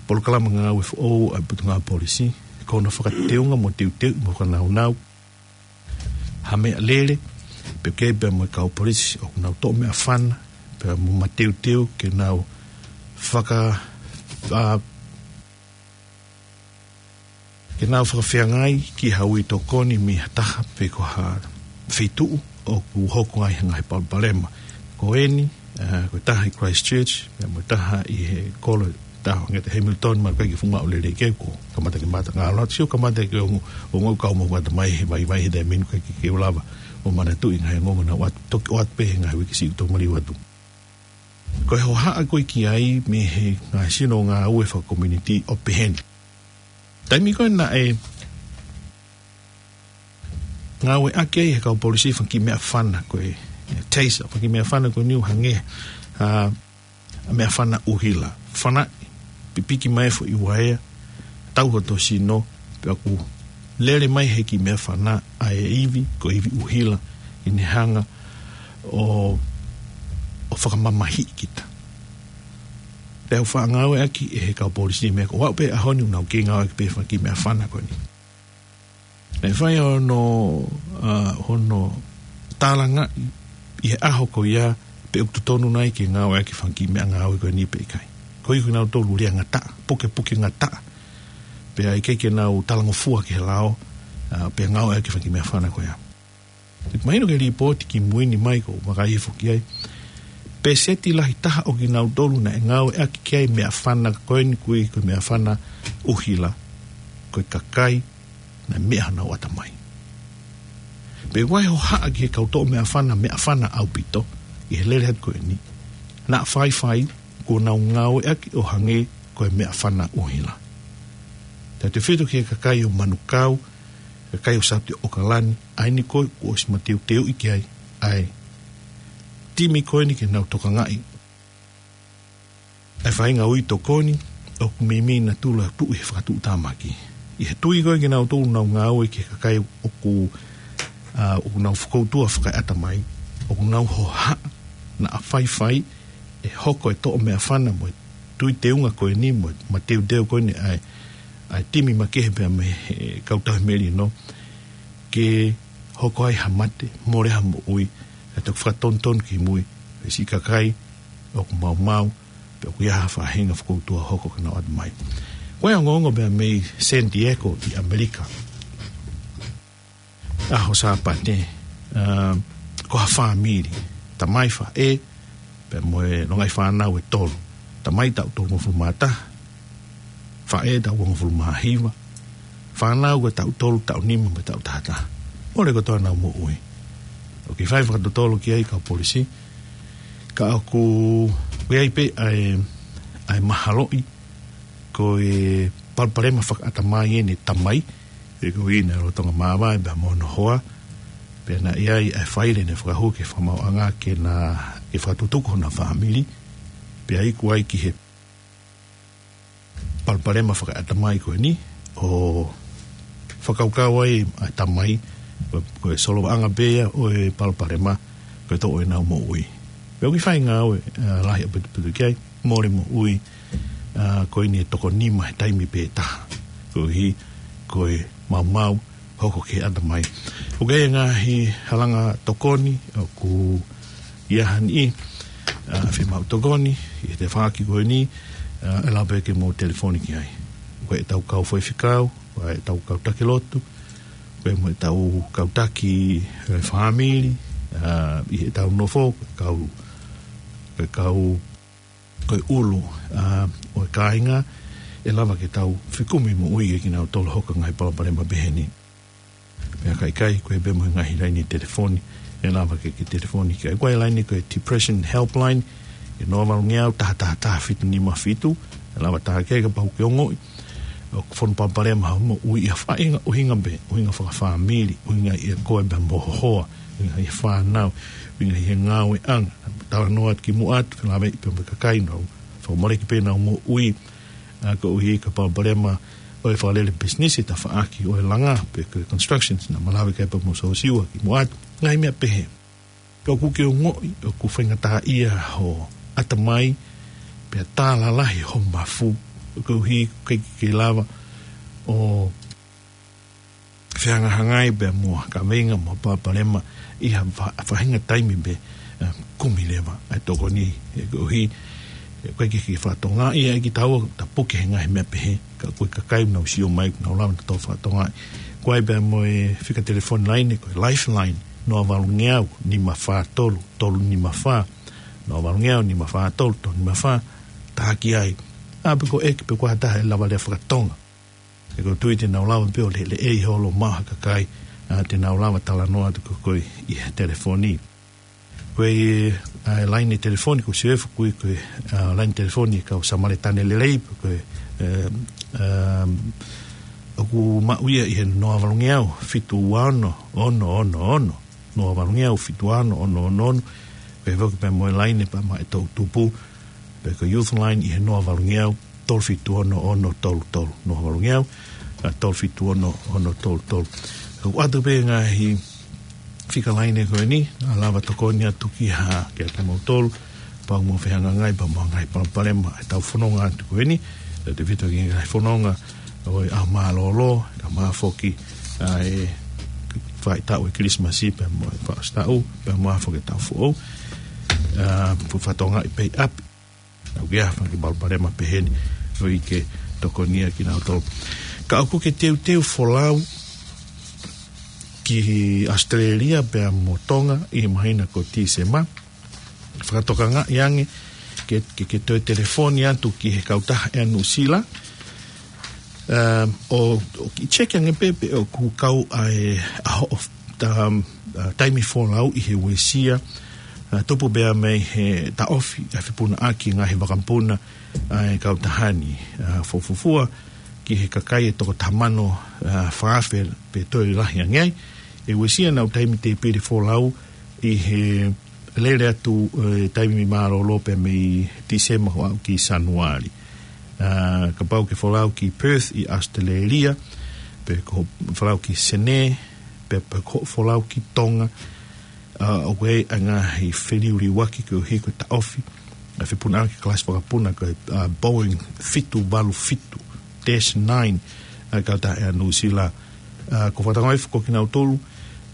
polokalama ngāue foʻou ʻa e Potungāue Polisi, ko hono fakateunga mo teuteu mo fakanaunau ha meʻalele, pea kei pea mo e kau polisi ʻoku nau toʻo meʻafana, pea mo mateuteu ke nau faka-, ʻa, ke nau fakafeangai ki ha ui tokoni mei ha taha pe ko ha feituʻu ʻoku hoko ai ha ngaahi palopalema. Ko eni, ʻa, ko e taha ʻi Christchurch, pea mo e taha ʻi he kolo Taha ange te Hamilton, ma kai ke funga o lele ke ko. Kamata ke mata ngalo, sio kamata ke ongo, ongo kau mo kata mai he vaivai he taimi ni, kai ke ke lava ʻo manatuʻi e ngaahi ongo naʻa nau ʻoatu, toki ʻoatu pē he ngaahi uike siʻi toki maliu atu. Ko e hohaʻa ko ē ki ai mei he ngaahi sino ngāue fakakomiunitī ʻo pehē ni. Taimi ko ē naʻe ngāueʻaki ai he kau polisi e fanga kiʻi meʻafana ko ē, e taser, fanga kiʻi meʻafana ko eni ʻoku hangē ha meʻafana ʻuhila. Fanaʻi, pipiki mai e foʻi uaea, tau hoto sino, pea ʻoku lele mai he kiʻi meʻafana ʻa e ivi, ko e ivi ʻuhila, ʻi heʻene hanga ʻo, ʻo fakamamahiʻi kita. Pea ʻoku faʻa ngāueʻaki ʻe he kau polisi e meʻa ko ē, ʻo aʻu pē ʻaho ni ʻoku nau kei ngāueʻaki pē e fanga kiʻi meʻafana ko eni. Naʻe fai hono, ʻa, hono tālangaʻi ʻi he ʻaho ko ia pe ʻoku totonu nai ke ngāueʻaki e fanga kiʻi meʻangāue ko eni pe ʻikai. Ko e kinautolu lea ngataʻa, pukepuke ngataʻa. Pea ʻikai ke nau talangofua ki he lao, ʻa, pea ngāueʻaki e fanga kiʻi meʻafana ko ia. Mahino ki he lipooti kimui ni mai ko e vakai hifo ki ai, peseti lahi taha ʻo kinautolu naʻe ngāueʻaki ki ai e meʻafana ko eni, ko e, ko e meʻafana ʻuhila, ko e kakai naʻe meʻa honau ʻatamai. Pea ʻoku ʻi ai e hohaʻa ki he kau toʻo meʻafana, meʻafana ʻaupito, ʻi he lele atu ko eni. Naʻa faifai, kuo nau ngāueʻaki ʻo hangē ko e meʻafana ʻuhila. Tautefito ki he kakai ʻo Manukau, kakai ʻo South ʻAokalani, ʻa eni ko ē kuo ʻosi mateuteuʻi ki ai ʻa e timi ko eni ke nau tokangaʻi ʻa e faʻahinga ui tokoni, ʻoku meimei natula tuʻu he fakatuʻutāmaki. ʻI he tui ko ē kinautolu ʻoku nau ngāue ki he kakai ʻoku, ʻa, ʻoku nau fokoutua fakaeʻatamai, ʻoku nau hohaʻa naʻa faifai ʻe hoko e toʻo meʻafana mo e tui teunga ko eni mo e mateuteu ko eni ʻa e, ʻa e timi makehe pea mei he kau tauhi melino, ke hoko ai ha mate, mole ha moʻui, ʻe toki fakatonutonu kimui, pe siʻi kakai ʻoku maumau, pe ʻoku ʻi ai ha faʻahinga fokoutua hoko ke nau ʻatamai. Ko e ongoongo pea mei San Diego ʻi ʻAmelika. ʻAho Sāpate, ʻa, ko ha fāmili, tamai, faʻē, pea mo e longaʻi fānau ʻe tolu. Tamai taʻu tolungofulu mā taha, faʻē taʻu uangofulu mā hiva, fānau ko e taʻu tolu, taʻu nima mo e taʻu taha taha. Mole kotoa honau moʻui. ʻOku kei fai fakatotolo ki ai e kau polisi, ka ʻoku ʻi ai pē ʻa e, ʻa e mahaloʻi ko e palopalema fakaʻatamai ʻene tamai, ʻe ko ina lolotonga māvae pea mo hono hoa, pea naʻe ʻi ai ʻa e faile naʻe fakahū ki he fakamaauʻanga ke na, ke fakatutuku hona fāmili, pea iku ai ki he palopalema fakaʻatamai ko eni, ʻo fakakaukau ai ʻa e tamai, ko, ko e solovaʻanga pē ia ʻo e palopalema, ko e toʻo ʻenau moʻui. Pea ʻoku kei fai ngāue, ʻa, lahi ʻaupito ki ai, mole moʻui, ʻa, ko eni e toko nima he taimi pē taha. Koeʻuhi, ko e maumau, hoko ki he ʻatamai. ʻOku ʻi ai e ngaahi halanga tokoni, ʻoku ʻi ai ha niʻihi, ʻa, fiemaʻu tokoni, ʻi he tafaʻaki ko eni, ʻa, ʻe lava pē ke mou telefoni ki ai. Ko ʻetau kau faifekau, ko ʻetau kau taki lotu, ko e mo ʻetau kau taki, ʻe, fāmili, ʻa, ʻi heʻetau nofo, ko e kau, ko e kau ko e ʻulu, ʻa, ʻo e kāinga, ʻe lava ke tau fekumi moʻui ʻa kinautolu hoko e ngaahi palopalema pehē ni. Pea ka ʻikai, ko e pē mo e ngaahi laine telefoni, ʻe lava ke, ke telefoni ki ai. Ko e laine ko e Depression Helpline, ʻe noa valu ngeau taha taha taha fitu nima fitu, ʻe lava tā ke kapau ʻoku ke ongoʻi ʻoku fonu palopalema hoʻo moʻui ʻi ha faʻahinga ʻuhinga pē, ʻuhinga fakafāmili, ʻuhinga ʻia koe pea mo ho hoa, ʻuhinga ʻi he fānau, ʻuhinga ʻi he ngāueʻanga, talanoa atu kimuʻa atu, felāveʻi pea mo e kakai naʻa nau fakamoleki pē ʻenau moʻui, ʻa, koeʻuhi ko e palopalema ʻo e fakalele pisinisi, tafaʻaki ʻo e langa, pe ko e constructions, naʻa mau lave ki ai pea mo Sosiua kimuʻa atu, ngaahi meʻa pehē. Ka ʻoku ke ongoʻi ʻoku faingataʻaʻia ho ʻatamai, pea tā lalahi ho mafu, koeʻuhi ʻoku ʻikai ke ke lava ʻo fehangahangai pea mo ha kaveinga mo ha palopalema ʻi ha fa-, faʻahinga taimi pē, ʻa, kumi leva ʻa e tokoni, ʻe koeʻuhi, ʻe ʻikai ke ke fakatokangaʻi ʻe kitaua, ta puke he ngaahi meʻa pehē, ka ko e kakai ʻoku nau sio mai, ʻoku nau lava nautolu ʻo fakatokangaʻi. Ko e pea mo e fika telefoni laine, ko e Lifeline, noa valu ngeau, nima fā tolu, tolu nima fā, noa valu ngeau, nima fā tolu, tolu nima fā, tā ki ai, ʻA, pe ko ʻEki, pe ko ha taha ʻe lava lea fakatonga. He ʻoku ou tui te nau lava pē ʻo lele ʻi holo maʻu ha kakai, ʻa, te nau lava talanoa atu ko ē ʻi he telefoni. Ko e, ʻa, laine telefoni, ko e sio ʻe foki ko e, ʻa, laine telefoni kau Samaletane lelei, ko e, ʻe, ʻa, ʻoku maʻu ia ʻi he noa valungeau, fitu ua ono, ono ono ono. Noa valungeau, fitu ua ono, ono ono ono. Ko e foki pē mo e laine pea maʻa e toʻutupu, pe ko e Youth Line ʻi he noa valungeau, tolu fitu ono ono tolu tolu. Noa valungeau, ʻa, tolu fitu ono ono tolu tolu. Ka ʻoku ʻoatu pē ngaahi fika laine ko eni, ʻa, lava tokoni atu ki ha, kiate kimoutolu, pea mo fehangahangai, pea mo e ngaahi palopalema ʻetau fononga atu ko eni, ʻe te vito ki he ngaahi fononga ʻo e ʻaho mālōlō, ka mo e foki, ʻa, e faʻahitaʻu e Kilisimasi, pea mo e faʻahitaʻu, pea mo e foki e taʻu foʻou, ʻa, pu fatonga i pei ʻapi, ʻoku ʻi ai ha fanga kiʻi palopalema pehē ni, ʻoku ʻikai ke tokoni ia kinautolu. Ka ʻoku ke teuteu folau ki ʻAositelēlia pea mo Tonga ʻi he māhina ko Tīsema, fakatokangaʻi ange ke, ke, ke toe telefoni atu ki he kautaha ʻa Nuʻusila, ʻa, ʻo, ʻo kiʻi check ange pē pe ʻoku kau ʻa e, ʻa hoʻo, um, ʻa, taimi folau ʻi he uesia, ʻa, tupu pea mei he taʻofi ʻa e fepunaʻaki ngaahi vakapuna ʻa e kautaha ni, ʻa, fuofua ki he kakai ʻe toko taha mano, ʻa, fā afe pe toe lahi ange ai, ʻe uesia ʻenau taimi tēpile folau ʻi he lele atu, ʻe, taimi mālōlō pea mei Tīsema ʻo aʻu ki Sānuali. ʻA, kapau ke folau ki Perth ʻi ʻAositelēlia, pe ko folau ki Senē, pe, pe ko folau ki Tonga, ʻa, ʻoku ʻi ai e ngaahi feliuliuaki koeʻuhi ko e taʻofi ʻa e fepunaʻaki kalasi vakapuna ko e, ʻa, Boeing fitu valu fitu dash nine, ʻa, kautaha ʻa Nuʻusila. ʻA, ko e fakatauange foki kinautolu,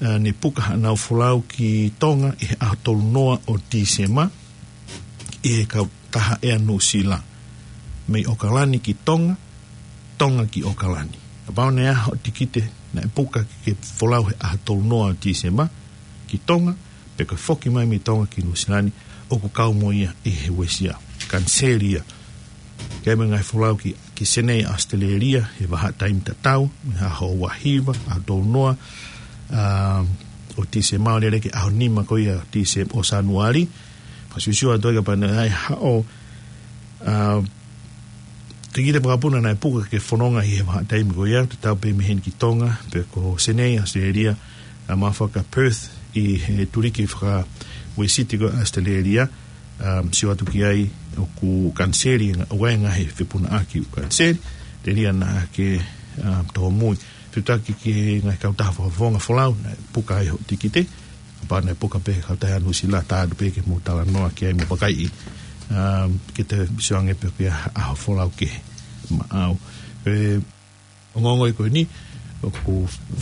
ʻa, ne puka haʻanau folau ki Tonga ʻi he ʻaho tolu noa ʻo Tīsema, ʻi he kautaha ʻa Nuʻusila. Mei ʻOkalani ki Tonga, Tonga ki ʻOkalani. Kapau naʻe ʻi ai hoʻo tikite naʻe puka ke, ke folau he ʻaho tolu noa ʻo Tīsema ki Tonga, pe ko e foki mai mei Tonga ki Nuʻusila ni, ʻoku kau mo ia ʻi he uesia. Kaniseli ia. Ke ʻai mo e ngaahi folau ki, ki Senē ʻAositelēlia, he vahaʻa taimi tatau, mei he ʻaho ua hiva, ʻaho tolu noa, ʻa, ʻo Tīsema ʻo lele ki he ʻaho nima ko ia ʻo Tīsema ʻo Sānuali, fakasiosio atu ai kapau naʻe ʻi ai haʻo, ʻa, tikite vakapuna naʻe puka ke fononga ʻi he vahaʻa taimi ko ia, tatau pē mei heni ki Tonga, pe ko Senē ʻAositelēlia, ʻa, mo e foki ʻa Perth ʻi he tuliki fakauesiti ko ē ʻAositelēlia, ʻa, sio atu ki ai ʻoku kaniseli, ʻa, ʻoku ʻi ai e ngaahi fepunaʻaki ʻoku kaniseli, telia naʻa ke, ʻa, tōmui. Fetuʻutaki ki he ngaahi kautaha fakafofonga folau, naʻe puka ai hoʻo tikite, kapau naʻe puka pē he kautaha ʻa Nuʻusila, tā atu pē ke mou talanoa ki ai mo e vakai, ʻa, ke te sio ange pe ʻoku ʻi ai ha ʻaho folau kehe maʻau. ʻE, ongoongo ia ko eni, ʻoku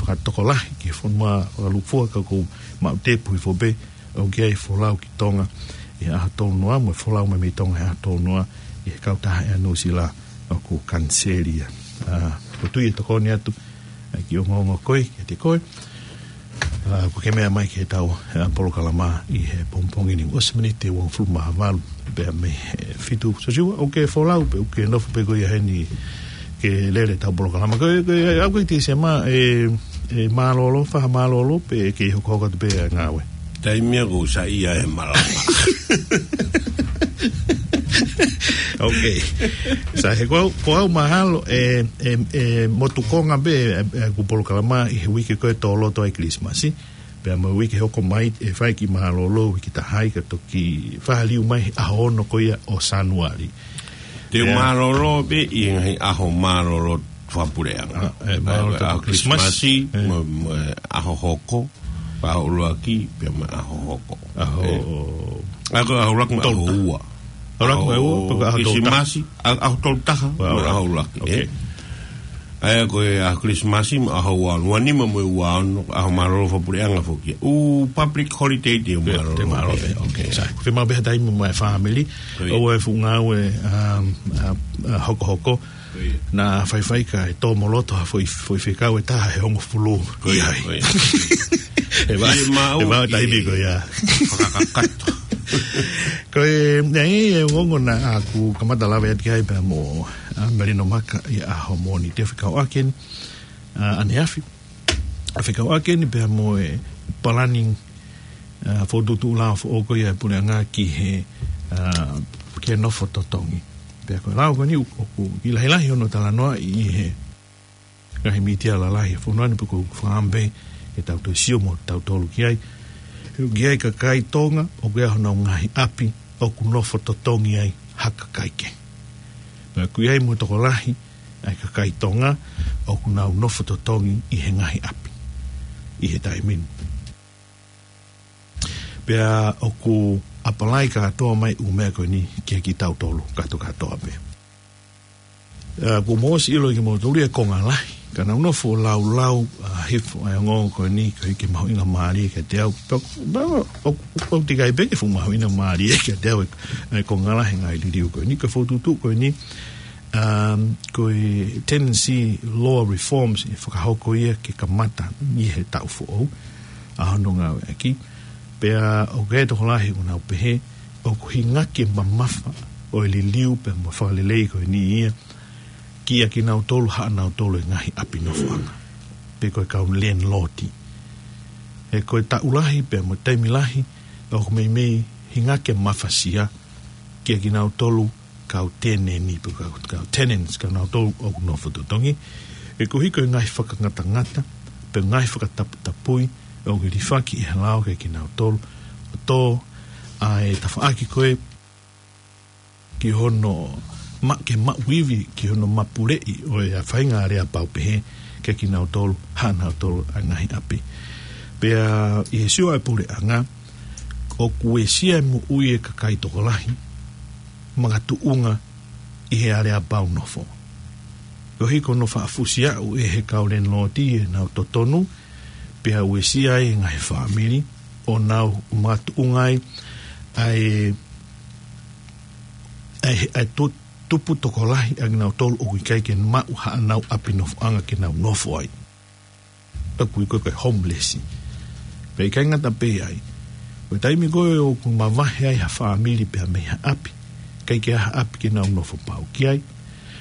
fakatokolahi ki he fonua fakalūkufua ka ʻoku maʻu tepu hifo pē, ʻoku ʻi ai e folau ki Tonga ʻi he ʻaho tolu noa, mo e folau mai mei Tonga he ʻaho tolu noa ʻi he kautaha ʻa Nuʻusila ʻoku kaniseli ia. ʻA, ʻoku ou tui ʻe tokoni atu ʻa e kiʻi ongoongo ko ē kiate koe. ʻA, ʻoku ke meʻa mai ki heʻetau, ʻa, polokalama ʻi he pongipongi ni, ʻosi miniti ʻe uofulu mā valu pea mei he fitu. Sosiua, ʻoku ke folau pe ʻoku ke nofo pē koe ia heni ke lele ʻetau polokalama? Ko e, ko e, ʻa, ko e Tīsema, ʻe, ʻe mālōlō, fakamālōlō, pe ʻe kei hokohoko atu pē ʻa e ngāue? Taimi ia ʻoku ou saiʻia he malanga. Ok. Sai, he ko au, ko au mahalo, ʻe, ʻe, ʻe motukonga pē, ʻe, ʻe, ʻeku polokalama ʻi he uike ko ē tō loto ai Kilisimasi. Pea mo e uike hoko mai, ʻe fai kiʻi mālōlō, uike taha ai ka toki fāliu mai he ʻaho ono ko ia ʻo Sānuali. Te u mālōlō pē ʻi he ngaahi ʻaho mālōlō fakapuleʻanga. ʻA, ʻe, mālōlō ʻa, ʻa, ʻa Kilisimasi. Kilisimasi, ʻe, mo, mo e ʻaho hoko, ʻaho ʻuluaki, pea mo e ʻaho hoko. ʻAho, ʻe, ʻa, ko e ʻaho ʻuluaki mo e ʻaho ua. ʻAho ʻuluaki mo e ua, pe ko e ʻaho tolu taha. Kilisimasi, ʻa, ʻaho tolu taha, mo e ʻaho ʻuluaki, ʻe. Ok. ʻA ia ko e ʻaho Kilisimasi mo e ʻaho ua, ua nima mo e ua ono, ʻaho mālōlō fakapuleʻanga foki. ʻŪ public holiday te u mālōlō. Te u mālōlō, ok. Sai. Ko e fiemaʻu pē ha taimi mo e fāmili. Ko ia. ʻOua ʻe fuʻu ngāue, um, ʻa, ʻa, hokohoko. Ko ia. Naʻa faifai kae tō mo loto ha foʻi, foʻi fekau ʻe taha he hongofulu. Ko ia, ʻi ai. Ko ia. ʻE vā, ʻe vā taimi ko ia. Fakakakato. Ko e, nei, e ongoongo naʻa ku kamata lave atu ki ai pea mo, ʻa, Melino Maka ʻi he ʻaho Mōnite, fekauʻaki eni, ʻa, ʻaneafi. ʻA, fekauʻaki eni pea mo e planning, ʻa, fokotuʻutuʻu lao foʻou ko ia ʻa e puleʻanga ki he, ʻa, ki he nofo totongi. Pea ko e lao ko eni ʻoku, ʻoku lahilahi hono talanoaʻi ʻi he ngaahi mītia lalahi ʻa e fonua ni, pea ʻoku ou fakaʻamu pē ke tau toe sio mo tautolu ki ai. ʻOku ʻi ai e kakai Tonga, ʻoku ʻi ai honau ngaahi ʻapi, ʻoku nofo totongi ai ha kakai kehe. Pea ʻoku ʻi ai mo e tokolahi ʻa e kakai Tonga, ʻoku nau nofo totongi ʻi he ngaahi ʻapi ʻi he taimi ni. Pea ʻoku apply kātoa mai ʻū meʻa ko eni kia kitautolu kātokātoa pē. ʻA, kuo mou ʻosi ʻilo ʻe kimoutolu ia e konga lahi. Ka naʻa ku nofo ʻo laulau, ʻa, hifo ʻa e ongoongo ko eni, koeʻuhi ke mahuʻingamālie kiate au. Pea, pea, ʻo, ʻo, ʻoku ʻikai pē ke fuʻu mahuʻingamālie kiate au e, e konga lahi e ngaahi liliu ko eni, ko e fokotuʻutuʻu ko eni, um, ko e Tenancy Law Reforms, ʻe fakahoko ia ke kamata ʻi he taʻu foʻou ʻa hono ngāueʻaki. Pea ʻoku ʻi ai e tokolahi ʻoku nau pehē, ʻoku hingaki e mamafa ʻo e liliu pea mo e fakalelei ko eni ia kia kinautolu haʻanautolu e ngaahi ʻapi nofoʻanga, pe ko e kau landlord. He ko e taʻu lahi pea mo e taimi lahi, ʻoku meimei hingaki e mafasia kia kinautolu kau teneni, pe kau, kau tenants, kinautolu ʻoku nofo totongi. He koeʻuhi ko e ngaahi fakangatangata, pe ngaahi fakataputapui, ʻoku hilifaki ʻe he lao kia kinautolu, ʻo tō ʻa e tafaʻaki ko ē ki hono ma-, ke maʻu ivi, ki hono mapuleʻi ʻo e faʻahinga aleapau pehē kia kinautolu haʻanautolu ʻa e ngaahi ʻapi. Pea ʻi he sio ʻa e puleʻanga, ʻoku uesia e moʻui e kakai tokolahi makatuʻunga ʻi he aleapau nofo. Koeʻuhi ko hono faʻa fusi aʻu ʻe he kau landlord ʻenau totonu, pea uesia ai e ngaahi fāmili, ʻo nau makatuʻunga ai ʻa e, ʻa e, ʻa e tu-, tupu tokolahi ʻa kinautolu ʻoku ʻikai ke maʻu haʻanau ʻapi nofoʻanga ke nau nofo ai. ʻOku ui ko e homeless. Pea ʻikai ngata pē ai, ko e taimi ko ē ʻoku mavahe ai ha fāmili pea mei ha ʻapi, ʻikai ke ʻi ai ha ʻapi ke nau nofo pau ki ai,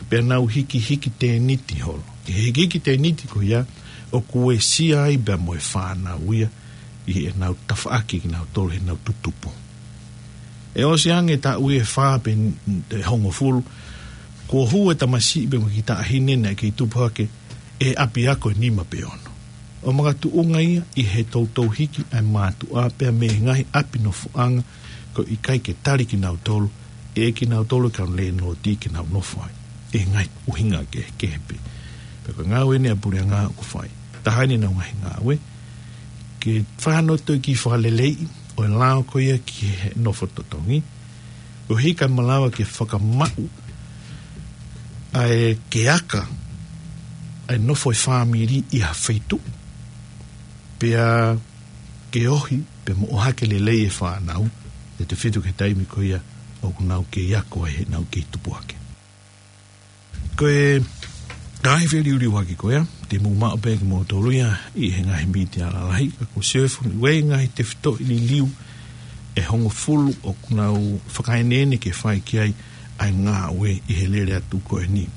pea nau hikihiki tēniti holo. ʻI he hikihiki tēniti ko ia, ʻoku uesia ai pea mo e fānau ia ʻi heʻenau tafaʻaki kinautolu heʻenau tutupu. ʻE ʻosi ange taʻu ʻe fā pe n-, ʻe hongofulu, kuo hū e tamasiʻi pea mo e kiʻi taʻahine naʻe kei tupu hake ʻi he ʻapi ako ʻe nima pe ono. ʻO makatuʻunga ia ʻi he toutou hiki ʻa e mātuʻa pea mei he ngaahi ʻapi nofoʻanga, ko e ʻikai ke tali kinautolu ʻe kinautolu e kau landlord ke nau nofo ai, ʻi he ngaahi ʻuhinga kehekehe pē. Pea ko e ngāue eni ʻa e puleʻanga ʻoku fai. Taha eni ʻenau ngaahi ngāue, ke fai hano toe kiʻi fakaleleiʻi ʻo e lao ko ia ki he nofo totongi, ʻo hiki ai malava ke fakamaʻu ʻa e ke aka ʻa e nofo e fāmili ʻi ha feituʻu, pea ke ohi, pea mo ʻohake lelei e fānau, ʻe tefito ki he taimi ko ia ʻoku nau kei ako ai heʻenau kei tupu hake. Ko e ngaahi feliuliuaki ko ia, te mou maʻu pē kimoutolu ia ʻi he ngaahi mītia lalahi, ka ko Sefu ni ʻoku ʻi ai e ngaahi tefitoʻi liliu ʻe hongofulu ʻoku nau fakaeneene ke fai ki ai ʻa e ngāue ʻi he lele atu ko eni.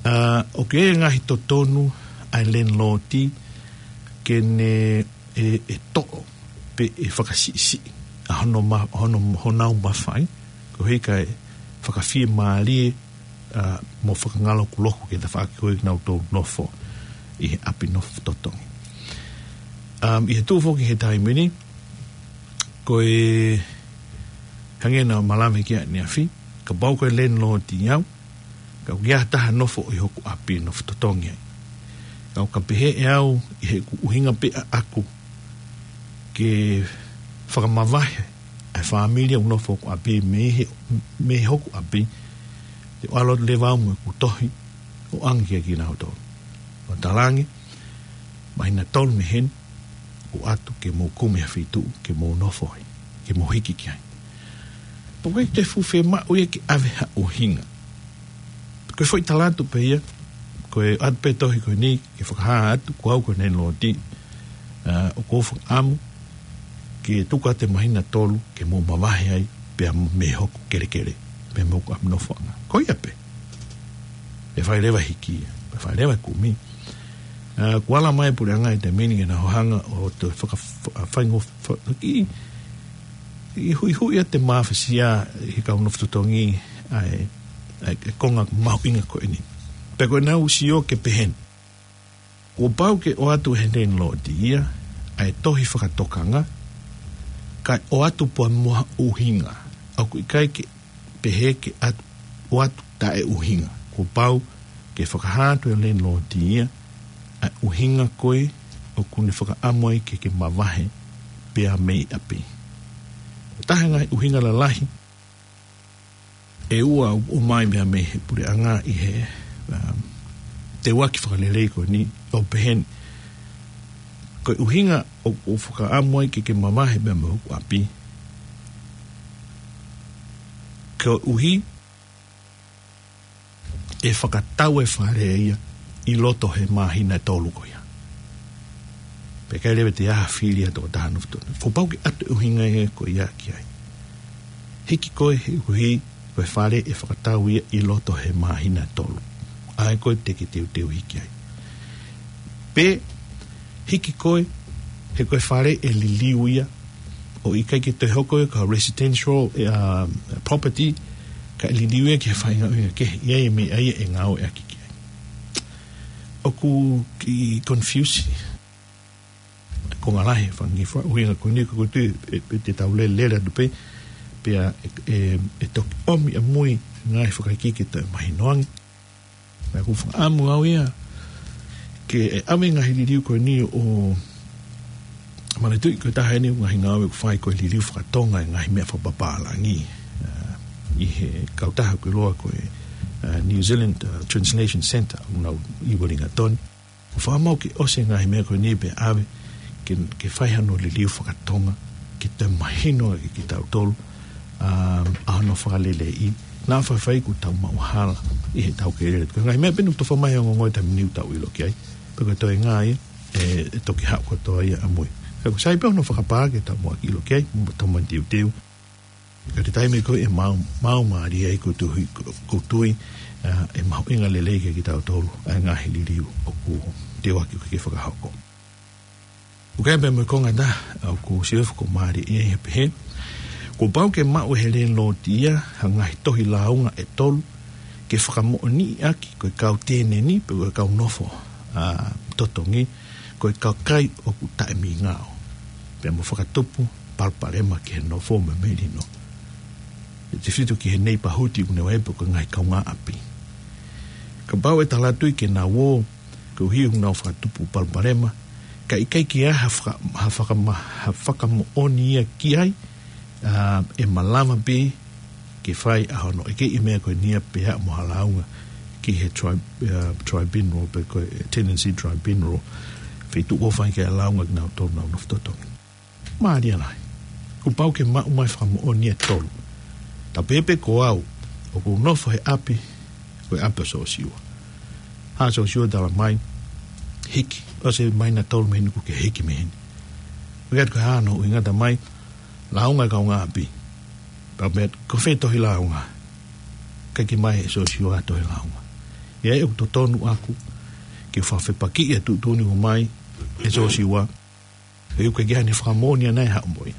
ʻA, ʻoku ʻi ai e ngaahi totonu ʻa e landlord ke ne ʻe, ʻe toʻo pe ʻe fakasiʻisiʻi ʻa hono ma-, hono, honau mafai, koeʻuhi kae fakafiemālie, ʻa, mo fakangalokuloku ki he tafaʻaki ko ē ʻoku nau toutou nofo ʻi he ʻapi nofo totongi. Um, ʻi he tuʻu foki he taimi ni, ko e hangē naʻa ma lave ki ai ʻaneafi, kapau ko e landlord au, ka ʻoku ʻi ai ha taha nofo ʻi hoku ʻapi nofo totongi ai, ka ʻoku ka pehē ʻe au ʻi heʻeku ʻuhinga pē ʻaʻaku ke fakamavahe ʻa e fāmili ʻoku nofo hoku ʻapi mei he, mei hoku ʻapi, te u ʻalu atu leva au mo ʻeku tohi ʻo ʻange kia kinautolu ʻo talaange, māhina tolu mei heni, ʻoatu ke mou kumi ha feituʻu ke mou nofo ai, ke mou hiki ki ai. Pea ʻoku ʻikai te u fuʻu fiemaʻu ia ke ʻave ha ʻuhinga. Ko e foʻi tala atu pē ia, ko e ʻoatu pē tohi ko eni ke fakahā atu, ko au ko e landlord, ʻa, ʻoku ou fakaʻamu ke tuku atu e māhina tolu ke mou mavahe ai, pea mei hoku kelekele, pea mei hoku ʻapi nofoʻanga. Ko ia pē. Pea fai leva e hiki ia, pea fai leva e kumi. ʻA, kuo ala mai e puleʻanga he taimi ni ke nau hanga ʻo toe faka-, fa-, faingo-, fa-, ki, i hui hui ʻa e mafasia ʻi he kau nofo totongi ʻa e, ʻa e konga mahuʻinga ko eni. Pea ko ʻenau sio ke pehē ni. Kuo pau ke ʻoatu ʻe he landlord ia ʻa e tohi fakatokanga, kae ʻoatu pē mo ha ʻuhinga. ʻOku ʻikai ke pehē ke ʻat-, ʻoatu taʻeʻuhinga. Kuo pau ke fakahā atu ʻe he landlord ia ʻa e ʻuhinga ko ē ʻoku ne fakaʻamu ai ke ke mavahe pea mei ʻapi. Taha e ngaahi ʻuhinga lalahi ʻe ua ʻoku ʻomai meʻa mei he puleʻanga ʻi he, um, teuaki fakalelei ko eni ʻoku pehē ni. Ko e ʻuhinga ʻoku ou fakaʻamu ai ke ke mavahe pea mei hoku ʻapi, koeʻuhi ʻe fakatau e fale ia ʻi loto he māhina ʻe tolu ko ia. Pea ʻikai leva te u fili ʻa e tokotaha nofo totongi. Kuo pau ke ʻoatu e ʻuhinga ia ko ia ki ai. Hiki koe he ʻuhi ko e fale ʻe fakatau ia ʻi loto he māhina ʻe tolu. ʻA ia ko ē te ke teuteu hiki ai. Pe hiki koe he ko e fale ʻe liliu ia, ʻo ʻikai ke toe hoko ia ko ha residential, ʻa, property, kae liliu ia ki he faʻahinga ʻuhinga kehe, ʻi ai e meʻa ia ʻe ngāueʻaki ki ai. ʻOku kiʻi confuse e konga lahi e fanga kiʻi fakaʻuhinga ko eni, ko e tui ʻe, ʻe, ʻe te tau lele, lele atu pē, pea ʻe, ʻe, ʻe toki ʻomi ʻamui ngaahi fakaikiiki ke toe mahino ange. Pea ʻoku ou fakaʻamu au ia ke ʻave e ngaahi liliu ko eni ʻo manatuʻi ko e taha eni e ngaahi ngāue ʻoku fai ko e liliu fakatonga e ngaahi meʻa fakapapālangi, ʻa, ʻi he kautaha ko e ʻiloa ko e, ʻa, New Zealand, ʻa, Translation Centre, ʻoku nau ʻi Wellington. ʻOku fakamau ke ʻosi e ngaahi meʻa ko eni pea ʻave ke, ke fai hano liliu fakatonga, ke toe mahino ange kiate kitautolu, ʻa, ʻa hono fakaleleiʻi, naʻa faifai kuo tau maʻu hala ʻi heʻetau kei lele. Ko e ngaahi meʻa pē ʻoku tofa mai ʻa e ongoongo he taimi ni ʻoku tau ʻilo ki ai. Pea ko e toenga ia, ʻe, ʻe toki haʻu kotoa ia ʻamui. Ka ʻoku sai pē hono fakapā ke tau muʻaki ʻilo ki ai, mo tau manatuʻi teuteu. Ka ko e taimi ko ē ʻe maʻu, maʻu mālie ai ʻoku ou tui, ʻoku ou tui, ʻa, ʻe mahuʻinga lelei kiate kitautolu ʻa e ngaahi liliu ʻoku teuaki ke fakahoko. ʻOku ʻi ai pē mo e konga ʻe taha ʻoku ou sio ʻoku mālie ia, ʻoku pehē, kuo pau ke maʻu ʻe he landlord ia ha ngaahi tohi lāunga ʻe tolu ke fakamoʻoniʻi ʻaki ko e kau tenant pe ko e kau nofo, ʻa, totongi, ko e kakai ʻoku taʻemingao, pea mo fakatupu palopalema ki he nofo mo e melino. ʻE tefito ki he neighbourhood ʻoku nau ʻi ai pe ko e ngaahi kaungāʻapi. Kapau ʻe tala atu ke nau ō koeʻuhi ʻoku nau fakatupu palopalema, kae ʻikai ke ʻi ai ha faka-, ha fakama-, ha fakamoʻoni ia ki ai, ʻa, ʻe malava pē ke fai ʻa hono ʻekeʻi e meʻa ko eni ia pea mo ha lāunga ki he tri-, ʻa, tribunal pe ko e tenancy tribunal, feituʻu ʻoku fai ki ai e lāunga kinautolu ʻoku nau nofo totongi. Mālie lahi. Kuo pau ke maʻu mai fakamoʻoni ʻe tolu. Tapu pē ko au, ʻoku ou nofo he ʻapi, ko e ʻapi ʻo Sosiua. Haʻu ʻa Sosiua tala mai, hiki, ʻosi e māhina ʻe tolu mei heni kuo ke hiki mei heni. ʻOku ʻikai ke ʻi ai hano ʻuhinga, tala mai, lāunga e kaungāʻapi. Pea pehē, ko fē tohi lāunga? ʻIkai ke ʻomai ʻe Sosiua ha tohi lāunga. ʻA ia ʻoku totonu ʻaku ke fakafepakiʻi ʻa e tuʻutuʻuni ʻoku ʻomai ʻe Sosiua, he ʻoku ʻikai ke ʻi ai hano fakamoʻoni ʻe haʻu mo ia.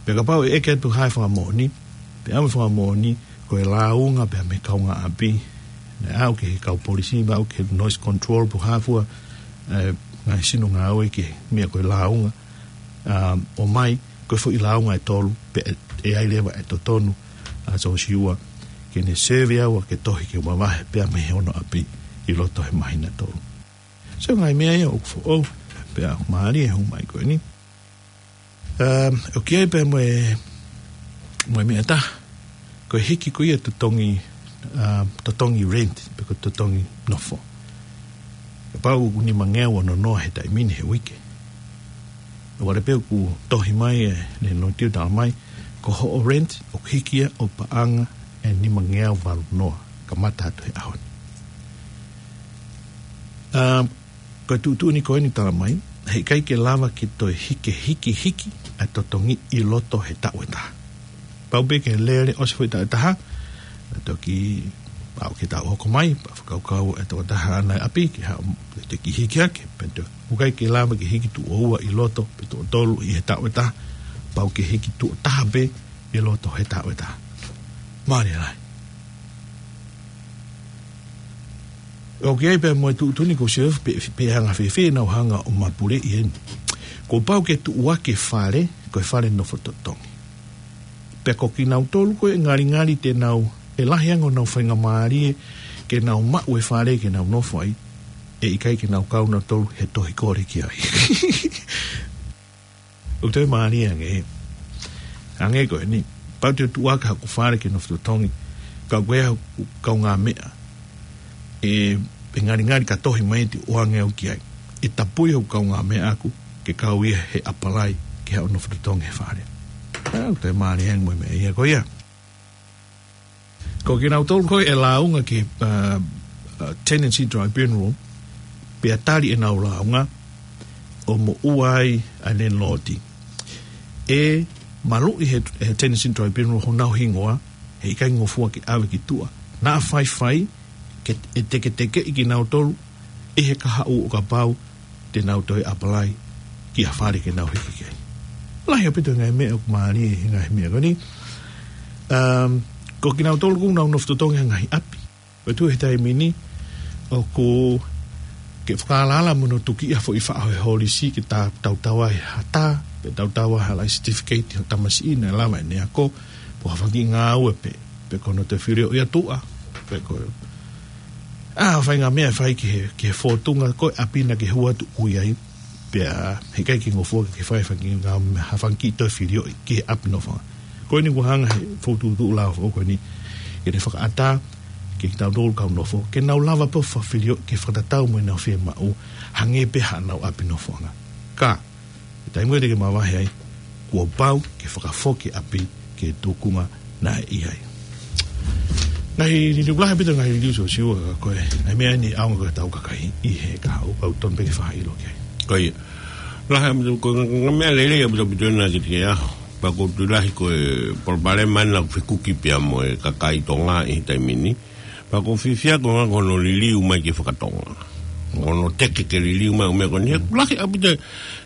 Pea kapau ʻe ʻeke atu ha fakamoʻoni, pea ʻomai e fakamoʻoni ko e lāunga pea mei he kaungāʻapi, naʻe aʻu ki he kau polisi, pea aʻu ki he noise control pe ko e hā fua, ʻa e ngaahi sino ngāue ki he meʻa ko e lāunga, ʻa, ʻomai ko e foʻi lāunga ʻe tolu, pea ʻe, ʻe ʻi ai leva e totonu ʻa Sosiua ke ne serve au ʻaki e tohi ke u mavahe pea mei hono ʻapi ʻi loto he māhina ʻe tolu. So ngaahi meʻa ia ʻoku foʻou, pea ʻoku mālie e hū mai ko eni. Um, ʻoku ʻi ai pē mo e, mo e meʻa ʻe taha, ko e hiki ko ia e totongi, um, totongi rent, pe ko e totongi nofo. Kapau ʻoku nimangeau ono noa he taimi ni he uike. ʻOku ʻi ai pē ʻoku tohi mai e landlord ʻo tala mai, ko hoʻo rent ʻoku hiki ia ʻo paʻanga ʻe nimangeau valu noa, kamata atu he ʻaho ni. Um, ko e tuʻutuʻuni ko eni tala mai, heʻikai ke lava ke toe hiki, hiki, hiki ʻa e totongi ʻi loto he taʻu ʻe taha. Pau pē ke lele ʻosi e foʻi taʻu ʻe taha, ʻe toki, pau ke tau hoko mai, pea fakakaukau e tokotaha ʻana e ʻapi, ke haʻu, te ke hiki hake, pea te ʻikai ke lava ke hiki tuʻo ua ʻi loto, pe tuʻo tolu ʻi he taʻu ʻe taha, pau ke hiki tuʻo taha pē ʻi loto he taʻu ʻe taha. Mālie lahi. ʻOku ʻi ai pē mo e tuʻutuʻuni ko Siosefa pe, pe anga fēfē ʻenau hanga ʻo mapuleʻi eni. Kuo pau ke tuʻuaki e fale, ko e fale nofo totongi. Pea ko kinautolu ko ē ʻe ngalingali te nau, ʻe lahi ange honau faingamālie ke nau maʻu e fale ke nau nofo ai, ʻe ʻikai ke nau kau nautolu he tohi kole ki ai. ʻOku toe mālie ange. Hangē ko eni, pau te u tuʻuaki haku fale ke nofo totongi, ka ko e haku kaungāmeʻa, ʻe, ʻe ngalingali ka tohi mai te u ʻoange au ki ai. ʻE tapui hoku kaungāmeʻa ʻaku, ke kau ia he ʻapalai ke haʻu ʻo nofo totongi he fale. ʻA, ʻoku toe mālie ange mo e meʻa ia ko ia. Ko kinautolu ko ē ʻe lāunga ki, uh, uh, Tenancy Tribunal, pea tali ʻenau lāunga ʻo moʻua ai ʻa e landlord, ʻe maluʻi he, he Tenancy Tribunal honau hingoa, heʻikai ngofua ke ʻave ki tuʻa. Naʻa faifai ke ʻe teketekeʻi kinautolu ʻi he kahaʻu ʻo kapau te nau toe ʻapalai ki ha fale ke nau hiki ki ai. Lahi ʻaupito e ngaahi meʻa ʻoku mālie he ngaahi meʻa ko eni. Um, ko kinautolu ʻoku nau nofo totongi he ngaahi ʻapi, ʻo tuʻu he taimi ni, ʻoku ke fakaalaala mo hono tuki ʻa e foʻi faʻo he holisi ke ta-, tautau ai ha tā, pe tautau ai ha life certificate ʻo e tamasiʻi naʻe lava ʻene ako, pe ha fanga kiʻi ngāue pē, pe ko hono toe filioʻi ʻa tuʻa, pe ko, ʻa, faʻahinga meʻa ʻe fai ki he, ki he fōtunga ko ē ʻapi naʻa ke hū atu ʻo ʻi ai, pea heʻikai ke ngofua ke fai ha fanga kiʻi ngā-, ha fanga kiʻi toe filioʻi ki he ʻapi nofoʻanga. Ko eni ʻoku hanga he fokotuʻutuʻu lao foʻou ko eni ke ne fakaʻatā kiate kitautolu kau nofo, ke nau lava pē ʻo fakafilioʻi ke fakatatau mo ʻenau fiemaʻu, hangē pē haʻanau ʻapi nofoʻanga. Ka, he taimi ko ē te ke mavahe ai, kuo pau ke fakafoki ʻapi ki he tūkunga naʻe ʻi ai. Ngaahi liliu lahi ʻaupito, ngaahi liliu sosiua ka ko e, ngaahi meʻa eni ʻaonga ko e tau kakai ʻi he kahaʻu, ʻoku totonu pē ke fakaʻilo ki ai. Ko ia. Lahi ʻaupito, ko e ngaahi meʻa lelei ʻaupito ʻaupito ena ki he ʻaho. Pea ʻoku ou tui lahi ko e palopalema ena ʻoku fekuki pea mo e kakai Tonga ʻi he taimi ni. Pea ʻoku ou fiefia ko e anga ko hono liliu mai ki he fakatonga. Hono teke ke liliu mai ʻo e meʻa ko eni. He ʻoku lahi ʻaupito,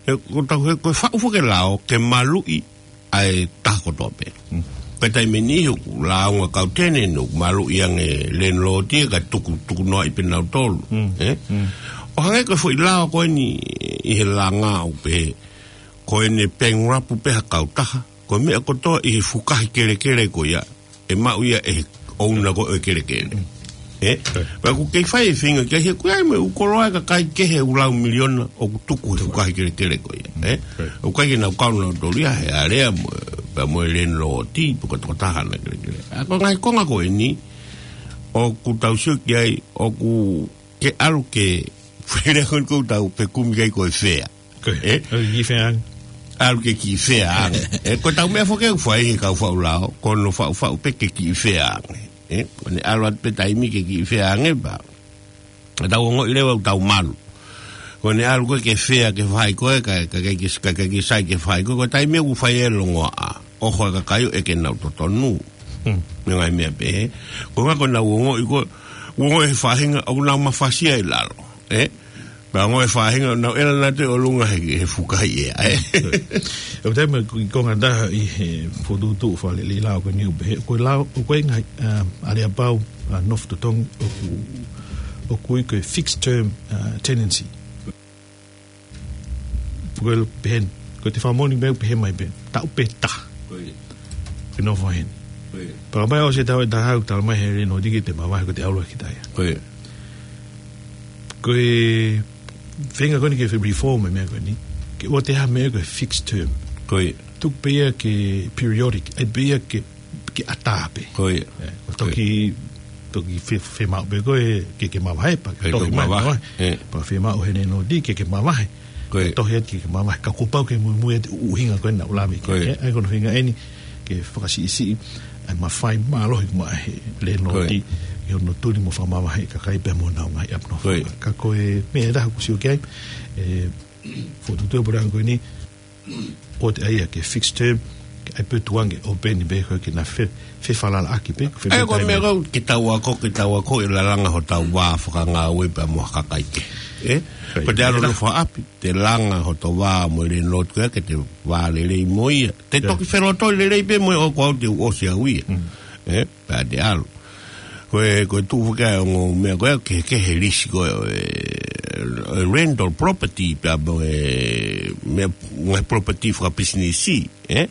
he ʻoku tau he, ko e faʻu foki e lao ke maluʻi ʻa e taha kotoa pē. Mm. Ko e taimi ni ʻoku lāunga kau tenant ʻoku maluʻi ange e landlord ia kae tuku, tuku noaʻi pē nautolu. Mm. Eh? Mm. ʻO hangē ko e foʻi lao ko eni ʻi he langa ʻoku pehē, ko ʻene bankrupt pē ha kautaha, ko e meʻa kotoa ʻi he fukahi kelekele ko ia, ʻe maʻu ia ʻe he ʻouna ko ē ʻo e kelekele. Mm. Eh? Right. Pea ʻoku kei fai e feinga ki ai he ʻoku ʻi ai mo e ʻū koloa e kakai kehe ʻoku lau miliona ʻoku tuku he fukahi kelekele ko ia. Eh? Right. ʻOku ʻikai ke nau kau nautolu ia he alea mo, pea mo e landlord, pe ko e tokotaha ʻana e kelekele. ʻA, ko e ngaahi konga ko eni, ʻoku tau sio ki ai, ʻoku ke ʻalu ke, fele ko eni ʻoku tau fekumi ki ai ko e fea. Ko e, eh? ʻAlu ke kiʻi fea ange. ʻAlu ke kiʻi fea ange. Eh, ko e tau meʻa foki ʻoku fai he kau faʻu lao, ko hono faʻufaʻu pē ke kiʻi fea ange. Eh, ko ʻene ʻalu atu pē taimi ke kiʻi fea ange pea tau ongoʻi leva ʻoku tau malu. Ko ʻene ʻalu ko ē ke fea ke fai ko ē, ka, ka, ka, ka, ka, ka sai ke fai ko ē, ko e taimi ʻoku fai e longoaʻa. ʻOho e kakai ʻo ʻeke ʻenau totonu. Hmm. Mo e ngaahi meʻa pehē. Ko e ʻuhinga ko ʻenau ongoʻi ko ē, ongoʻi he faʻahinga ʻoku nau mafasia ʻi lalo. Eh? Pea ongoʻi e faʻahinga ʻoku nau ʻela nautolu ʻi ʻolunga he, he fukahi ʻea, eh? ʻOku tau meʻa ko e konga ʻe taha ʻi he fokotuʻutuʻu fakalelei lao ko eni ʻoku pehē, ko e lao, ko e ngaahi, um, aleapau, uh, nofo totongi ʻoku, ʻoku ui ko e fixed term, uh, tenancy. Ko e pehē, ko e te fakamoʻoni meʻa ʻoku pehē mai pē, taʻu pē taha. Ko ia. Ke nofo heni. Ko ia. Pea kapau ʻosi e taʻu ʻe taha ʻoku tala mai he landlord ke te mavahe, ko e te ʻalu ki taia. Ko ia. Ko e feinga ko eni ke reform e meʻa ko eni. Ke ʻoua te ha meʻa ko e fixed term. Ko ia. Tuku pē ia ke periodic, ʻai pē ia ke, ke ʻatā pē. Ko ia. Eh, ʻo toki, toki fe-, fiemaʻu pē ko ē ke ke mavahe, pea ke tohi mai mavahe. Eh. Pea fiemaʻu he landlord ke ke mavahe. Ko ia. Tohi atu ke ke mavahe. Ka kuo pau ke muimui atu e ʻuhinga ko ē naʻa ku lave ki ai. Ko ia. Eh, ʻa ia ko hono ʻuhinga eni ke fakasiʻisiʻi ʻa e mafai mālohi ʻoku maʻu ʻe he landlord ʻi hono tuli mo fakamavaheʻi e kakai pea mo honau ngaahi ʻapi nofo. Ko ia. Ka ko e meʻa ʻe taha ʻoku ou sio ki ai, e fokotuʻutuʻu e puleʻanga ko eni, ʻoua te ʻai ia ke fixed term, ʻAi pē tuange ʻo peni pē ko e ke na fe, fefalalaʻaki pē, ko e ʻAi ko e meʻa fetaimi. Kau ke tau ako, ke tau ako e lalanga hotau vā fakangāue pea mo ha kakai kehe. Ē? Right. Ko te ʻalu Right. nofo ʻapi, te langa hoto vā mo e lēnilōti ko ia ke te vā lelei mo ia. Te Right. toki felotoi lelei pē mo ia ʻoku ou te u ʻosi au ia. Mm. Ē? Pea te ʻalu. Ko e, ko e tuʻu fakae ongo meʻa ko e, ke, ke he lisi ko e, e, e rental property, pea mo e, meʻa, ngaahi property fakapisinisi, ē?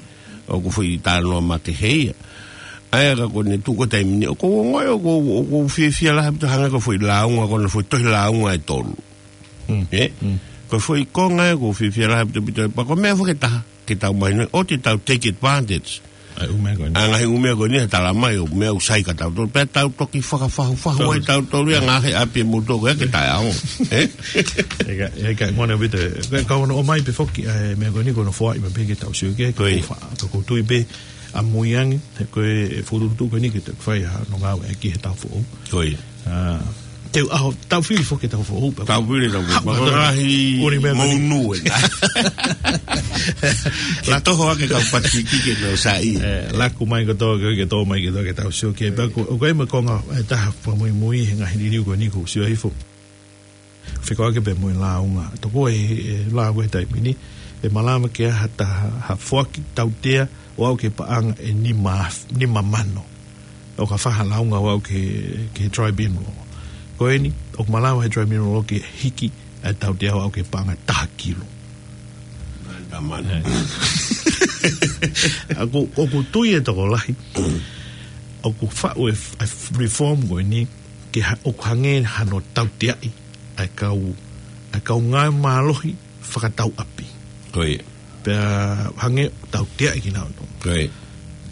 ʻOku foʻi talanoa makehe ia. ʻA ia ka ko ʻene tuʻu ko e taimi ni, ʻoku ou ongoʻi, ʻoku ou, ʻoku ou fiefia lahi ʻaupito hangē ko e foʻi lāunga, ko ʻene foʻi tohi lāunga ʻe tolu. Mm. Ē? Mm. Ko e foʻi konga ē, ʻoku ou fiefia lahi ʻaupito ʻaupito ē, pea ko e meʻa foki ʻe taha, ke tau mahino, ʻoua te tau take advantage. ʻA e ʻū meʻa ko eni. ʻA e ngaahi ʻū meʻa ko eni, he talamai ʻoku meʻa ʻoku sai kia tautolu. Pea tau toki fakafahufahu ai Fahu. tautolu ia ngaahi ʻapi ʻe moutolu ko ia ke taʻeʻaonga. Ē? ʻIkai, ʻikai, ngone vite. Ka, ka ono ʻomai pē foki, ʻa e meʻa ko eni ko hono foaʻi maʻu pē ke tau sio ki ai, ka Ko ia. ʻoku ou fa-, ka ʻoku ou tui pē ʻamui ange, he ko e fokotuʻutuʻu ko eni ke tau fai hano ngāueʻaki he taʻu foʻou. Ko ia. ʻA, te u ʻaho, tau fili foki he taʻu foʻou, pea Tau fili taʻu foʻou. Hau, Pea ko e hau. ngaahi Uri meʻa mou mani. nue. La toho ake kau Pasifiki ke nau saiʻia. Ē, laku mai kotoa ke, ke tō mai ke tō ke tau sio ki ai. Pea ko, ʻoku ʻi ai mo e konga, ʻe taha fakamuimui he ngaahi liliu ko eni ʻoku ou sio hifo. Fekauʻaki pē mo e lāunga. Tokua ʻe, ʻe lāunga he taimi ni, ʻe malava ke ʻi ai ha taha, ha foaki tautea ʻo aʻu ki he paʻanga ʻe nima, nima mano. ʻO ka fai ha lāunga ʻo aʻu ki he, ki he tribunal. Ko eni, ʻoku malava he tribunal ke hiki ʻa e tautea ʻo aʻu ki he paʻanga ʻe taha kilo. Nima mano. Ē. ʻOku, ʻoku ou tui ʻe tokolahi. ʻOku faʻu e f-, e f-, reform ko eni, ke ha-, ʻoku hangē hano tauteaʻi ʻa e kau, ʻa e kau ngāue mālohi fakatau ʻapi. Ko ia. Pea hangē tauteaʻi kinautolu. Ko ia.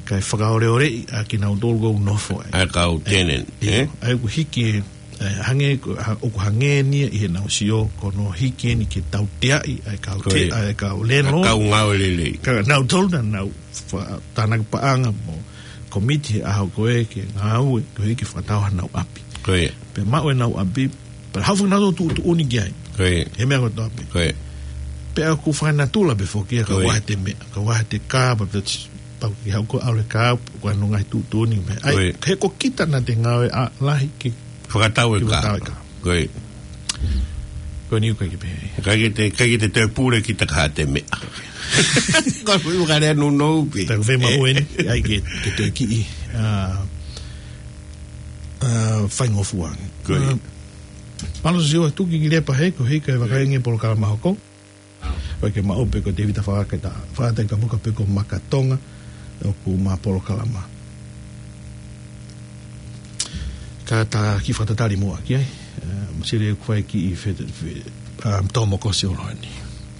Kae fakaoleoleʻi ʻa kinautolu ʻoku nofo ai. ʻA e kau tenant, ʻIo, ē? ʻa ia ʻoku hiki, ē, hangē ko, ha-, ʻoku hangē eni ʻi heʻenau sio, ko hono hiki eni ke tauteaʻi ʻa e kau Ko te-, ia. ʻa e kau ʻA e landlord. kau ngāue lelei. Ka nautolu naʻa nau fa-, tānaki paʻanga mo komiti he ʻaho ko ē ke ngāue, ko e ke fakatau hanau ʻapi. Ko ia. Pea maʻu ʻenau ʻapi, pea haʻu foki nautolu ʻo tuʻutuʻuni ki ai. Ko ia. He meʻa kotoa pē. Ko ia. Pea ʻoku fakanatula pē foki ia ka Ko ia. ʻoku ʻi ai ha meʻa, ka ʻoku ʻi ai ha kā, pea pea pau ki hau ko ʻalu e kā, ko e ngaahi tuʻutuʻuni meʻa. ʻAi, Ko ia. he ko kita naʻa te ngāue ʻa lahi ke Fakatau e ke kā. fakatau e kā. Ko ia. Ko eni ʻoku ʻikai ke pehē. ʻIkai ke te, ʻikai ke te toe pule kita ka ha te meʻa. Ko e fuʻu kale nounou pē. Pea ko e fē maʻu eni, ʻai ke, ke toe kiʻi, ʻa, ʻa, faingofua. Ko ia. ʻA, Palo Sio atu ki ki lepa he, ko hei ka e vakai ange polokalama hoko. Ko e ke maʻu pē ko Tevita Fakaketa, Fakataka Muka pe ko Maka Tonga, ʻoku ma polokalama. Ka ta kiʻi fakatatali muʻa ki ai, ē, masili ʻoku fai kiʻi fe-, fe-, ʻa, tō mo ko si ʻo loa ni.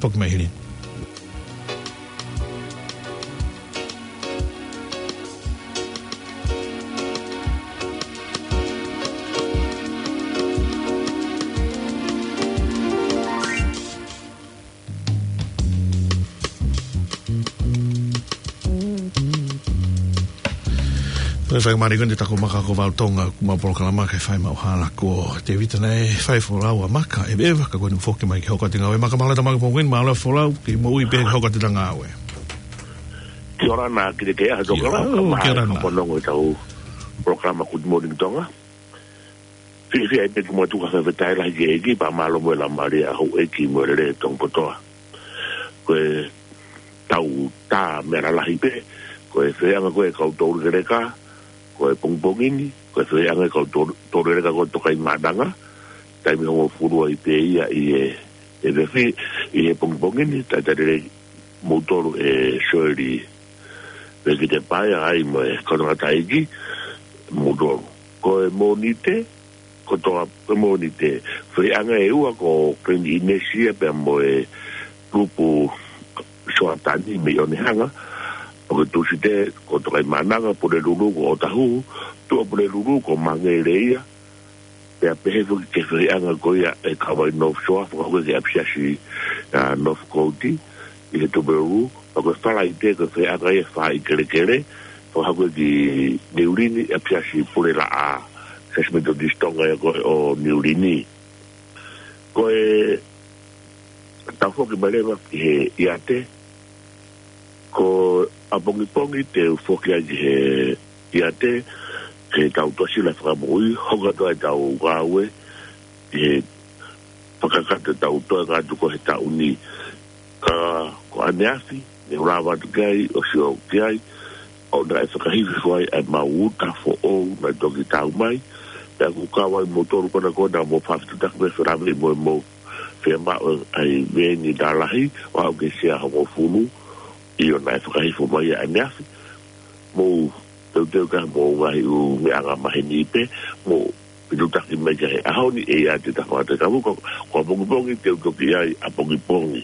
Foki mai hili. Ko e fai mari ko eni taku Maka ko Valo Tonga, ʻoku ma polokalama ke fai maʻu hala ko Tevita naʻe fai folau ʻa Maka, ʻeveʻeva, ka ko eni foki mai ke hoko atu e ngāue. Maka, mālō e tau Maka pongen, mālō e folau, ke moʻui pē hoko atu e ngāue. Kia ora na ki te ke aha Kia ora, ka maha kia ora ka na. Ponongo e tau polokalama Good Morning Tonga. Fiefia ai pē ke mou tuku ha fakafetaʻi lahi ki he ʻEiki, pea mālō mo e laumālie ʻa houʻeiki mo e lele Tonga kotoa. Ko e tau tā meʻa lalahi pē, ko e feʻanga ko e kau tolu keleka, ko e pongipongi ni, ko e feʻanga e kau tolu, tolu keleka ko Tokaimaʻananga, taimi hongofulu ai pē ia ʻi he, ʻi he fefi, ʻi he pongipongi ni, talitali lelei moutolu ʻe Soeli Vekitepaea ai mo e kau tangataʻeiki moutolu. Ko e Mōnite, ko toa, ko e Mōnite, feʻanga ʻe ua ko Glen Innes ia pea mo e Lupu Soatani mei ʻOnehunga, ʻo ko e Tūsite, ko Tokaimaʻananga, Pulelulu ko Ōtahuhu, Tuʻapulelulu ko Mangere ia, pea pehē foki ki he feʻanga ko ia ʻe kau ai North Shore, fakahoko ki he ʻapisiasi, ʻa, North Coast, ʻi he Tuvalu, pea ko e Falaite ko e feʻanga ia ʻe fā ʻi Kelekele, fakahoko ki Niu Lini, ʻapisiasi Pulelaʻā, First Methodist Tonga ia ko ē ʻo Niu Lini. Ko e tau foki mai leva ki he ʻiate, ko ʻapongipongi te u foki ai ki he, ʻiate, he tau Tuʻasila Fakamoʻui, hoko atu ai ʻetau ngāue, he fakakakato ʻetau toenga atu ko ē he taʻu ni. Ka ko ʻaneafi, ne u lava atu ki ai, ʻo sio ki ai, ʻo naʻe fakahifo ai ʻemau uta foʻou naʻe toki tau mai, pea ʻoku kau ai moutolu konakona mo e fefitutaki mo e felāveʻi mo e mou fiemaʻu ʻa e veeni lalahi, ʻo aʻu ki he sea hongofulu, ʻio naʻe fakahifo mai ʻaneafi, mou teuteu ki he mou ngaahi ʻū meʻa angamaheni pē, mou fitutaki mai ki he ʻaho ni ʻe ʻiate Tafata Kavuka, ko ʻapongipongi te u toki ʻi ai ʻapongipongi,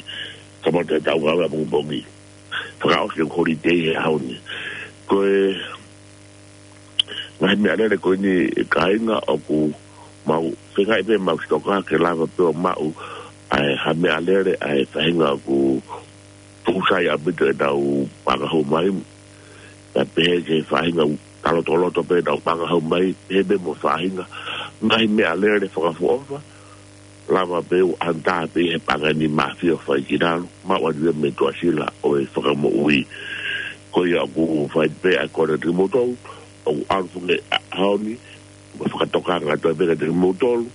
kamata ʻetau ngāue ʻapongipongi. Fakaʻosi e holiday he ʻaho ni. Ko e ngaahi meʻalele ko eni kāinga ʻoku mau feinga pē mau sitoka ke lava pē ʻo maʻu ʻa e ha meʻalele ʻa e faʻahinga ʻoku tuʻu sai ʻaupito ʻenau paʻanga hou mai. Pea pehē ki he faʻahinga ʻoku talotoloto pē ʻenau paʻanga hou mai, pehē pē mo e faʻahinga ngaahi meʻalele fakaʻofoʻofa, lava pē ʻo ʻanata pē he paʻanga ni mafio fai ki lalo, maʻu atu ia mei Tuʻasila ʻo e Fakamoʻui. Ko ia ʻoku fai pē ʻa e kole kiate kimoutolu, ʻoku ʻalu foki ʻa e ʻaho ni, mo e fakatokanga atu pē kiate kimoutolu,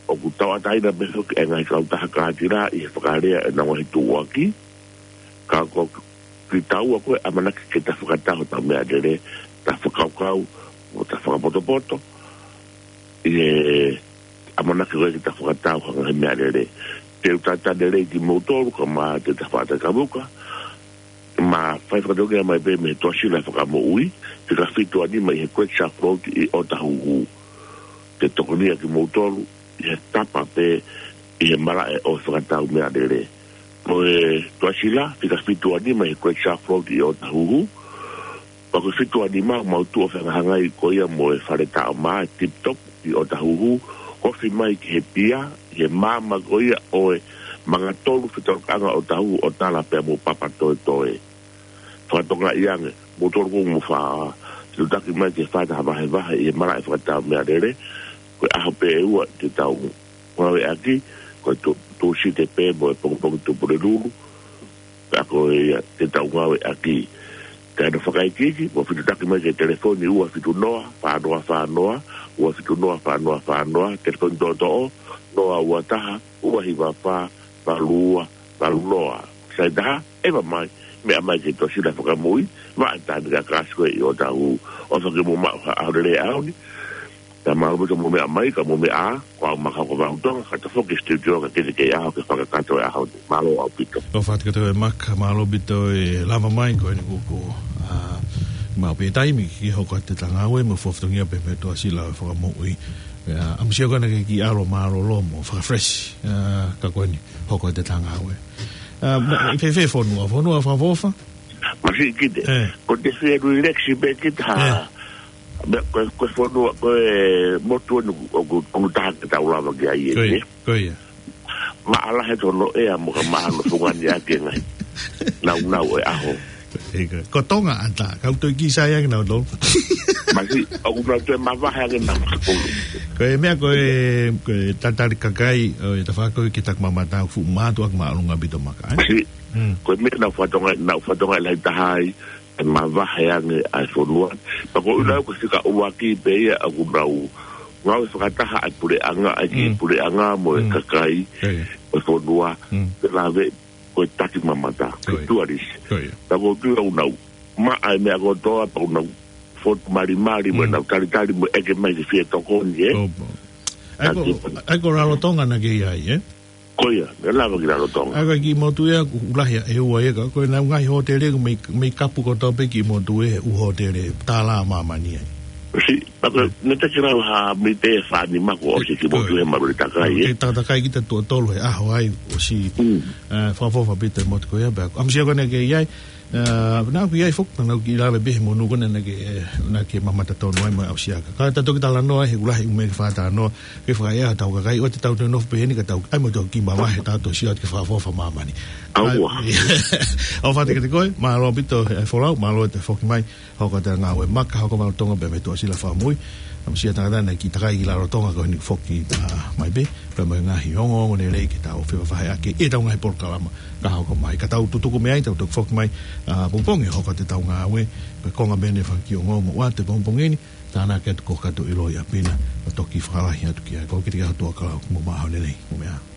ʻoku tauʻatāina pē foki e ngaahi kautaha kātila ʻi he fakalea ʻenau ngaahi tuʻuaki, ka ko kitaua ko ē ʻamanaki ke ta fakatau hotau meʻalele, ta fakakaukau, mo ta fakapotopoto, ʻi he ʻamanaki ko ē ke ta fakatau ha ngaahi meʻalele. Te u talitali lelei kimoutolu, kae ʻumaʻā ʻa Tafata Kavuka, mo e fai fakatongia mai pē mei he Tuʻasila Fakamoʻui, fika fitu ʻa nima ʻi he Great Shark Road ʻi ʻŌtāhuhu. Ke tokonia kimoutolu, ʻi he tapa pē, ʻi he malaʻe ʻo e fakatau meʻalele. Ko e Tuʻasila, fika fitu ʻa nima ʻi he Great Shark Road ʻi ʻŌtāhuhu, pea ko e fitu ʻa nima mau tuʻu ʻo fehangahangai ko ia mo e fale taʻo mā, Tip Top, ʻi ʻŌtāhuhu, ofi mai ki he pia, ʻi he maama ko ia ʻo e Mangatolu, fetolokaʻanga ʻo ʻŌtāhuhu, ʻo tala pea mo Papatoetoe. Fakatokangaʻi ange, moutolu ʻoku mou fai fitutaki mai ke fai ha vahevahe ʻi he malaʻe fakatau meʻalele, ko e ʻaho pē ʻe ua te tau ngāueʻaki, ko e Tū-, Tūsite pē mo e pongipongi Tuʻapulelulu, pea ko ia te tau ngāueʻaki. Kae ʻoua fakaikiiki, mou fitutaki mai ki he telefoni ua fitu noa, fā noa fā noa, ua fitu noa, fā noa fā noa, telefoni toʻotoʻo, noa ua taha, ua hiva fā, valu ua, valu noa. Sai taha, ʻeva mai, meʻa mai ki he Tuʻasila Fakamoʻui, maʻa e tānaki kākāsi ko ē ʻi ʻŌtāhuhu, ʻofa ke mou maʻu ha ʻaho lelei he ʻaho ni, ta mālō ʻaupito mou meʻa mai, ka mou meʻa, ko au Maka Hokovau Tonga, ka ta foki ki he studio ka kete kei ʻaho ke fakakakato e ʻaho ni. Mālō ʻaupito. ʻOfa atu kiate koe Maka, mālō ʻaupito e lava mai, ko eni kuo, ʻa, maʻu pē taimi ke hoko atu ʻeta ngāue, mo e fakafatongia pē mei he Tuʻasila Fakamoʻui. ʻIa, ʻamusia koe naʻa ke kiʻi ʻalu mālōlō mo fakafresh, ʻa, ka ko eni, hoko atu ʻeta ngāue. ʻA, ma-, fēfē fonua, fonua fakaʻofoʻofa? Masiʻi kita. ʻE. Ko te fie relax pē kita ha. ʻE. Meʻa ko e, ko e fonua, ko e motu eni ʻoku, ʻoku taha ke tau lava ki ai ʻe. Ko ia, ʻe? Ko ia. Maʻalahi hono ʻea mo ka maʻa hono fungani ʻaki e ngaahi naunau ʻo e ʻaho. Ko ia, ko ia. Ko Tonga ʻatā, kau toe kiʻi sai ange nautolu. Masiʻi, ʻoku nau toe mavahe ange nautolu. Ko e meʻa ko e, ko e talitali kakai, ʻo e tafaʻaki ko ē ki he taki mamata, fuʻu mātuʻaki māʻolunga ʻaupito Maka, ʻe? Masiʻi, Mm. ko e meʻa naʻa ku fakatokangaʻi, naʻa ku fakatokangaʻi lahi taha ai, ʻe mavahe ange ʻa e fonua. Pea ko e ʻuhinga Mm. ko e fika ʻuluaki pē ia ʻoku nau ngāue fakataha ʻa e puleʻanga, ʻa e kiʻi Mm. puleʻanga mo e Mm. kakai, Ko ia. ʻo e fonua, Mm. pea lave ko e taki mamata, ko e Ko ia. tualisi. Ko ia. Pea ko e ʻuhinga ʻoku nau maʻa e meʻa kotoa, pea ʻoku nau fotu malimali, mo Mm. nau talitali, mo ʻeke mai ke fie tokoni, ʻe? Ko ia. ʻAi ko, Taki. ʻAi ko Rarotonga naʻa ke ʻi ai, ʻe? Ko ia, meʻa lava ki Rarotonga. ʻAi ko e kiʻi motu ia, ʻoku lahi ʻa e ua ia ka, ko e ngaahi hōtele, ʻoku mei, mei kapu kotoa pē kiʻi motu ʻe, ʻū hōtele, tālā ʻa māmani ai. Masiʻi, pea ko e, Mm. ne te ke lau ha mite fā nima kuo ʻosi kiʻi motu Ko ia. he malu takai, ʻe? Ke takatakai kita tuʻo tolu he ʻaho ai, ʻosi, Mm. ʻa, fakaʻofoʻofa ʻaupito e motu ko ia, pea, ʻamusia koe naʻa ke ʻi ai, ʻA, naʻa ku ʻi ai foki, naʻa ku kiʻi lave pē he monū ko ē naʻa ke, naʻa ke mamata tonu ai mo e ʻausiaka. Ka ta toki talanoa he ʻoku lahi e meʻa ke fakatalanoa, ke fakaʻea hotau kakai, ʻoua te tau toe nofo pē heni ka tau, ʻai mo tau kiʻi mavahe, tau toe sio atu ki he fakaʻofoʻofa ʻa māmani. ʻAua. ʻAi, ʻofa atu kiate koe, mālō ʻaupito, ʻe, folau, mālō ʻete foki mai, hoko atu e ngāue Maka, Hokovau Tonga pea mei he Tuʻasila Fakamoʻui. Amusia tangata naʻe kiʻi takai ki Rarotonga ko eni foki, ʻa, mai pē, pea mo e ngaahi ongoongo lelei ke tau fevahevaheʻaki ʻetau ngaahi polokalama ka hoko mai. Ka tau tutuku mei ai, tau toki foki mai, ʻa, pongipongi hoko atu ʻetau ngāue, ko e konga pē eni e fanga kiʻi ongoongo ʻoatu he pongipongi ni, tānaki atu ko e kakato ʻiloa ʻi ʻapi na, ʻo toki fakalahi atu ki ai. Ko kitautolu kia Hotua Kalau, mou maʻu ha ʻaho lelei, mou meʻa ā.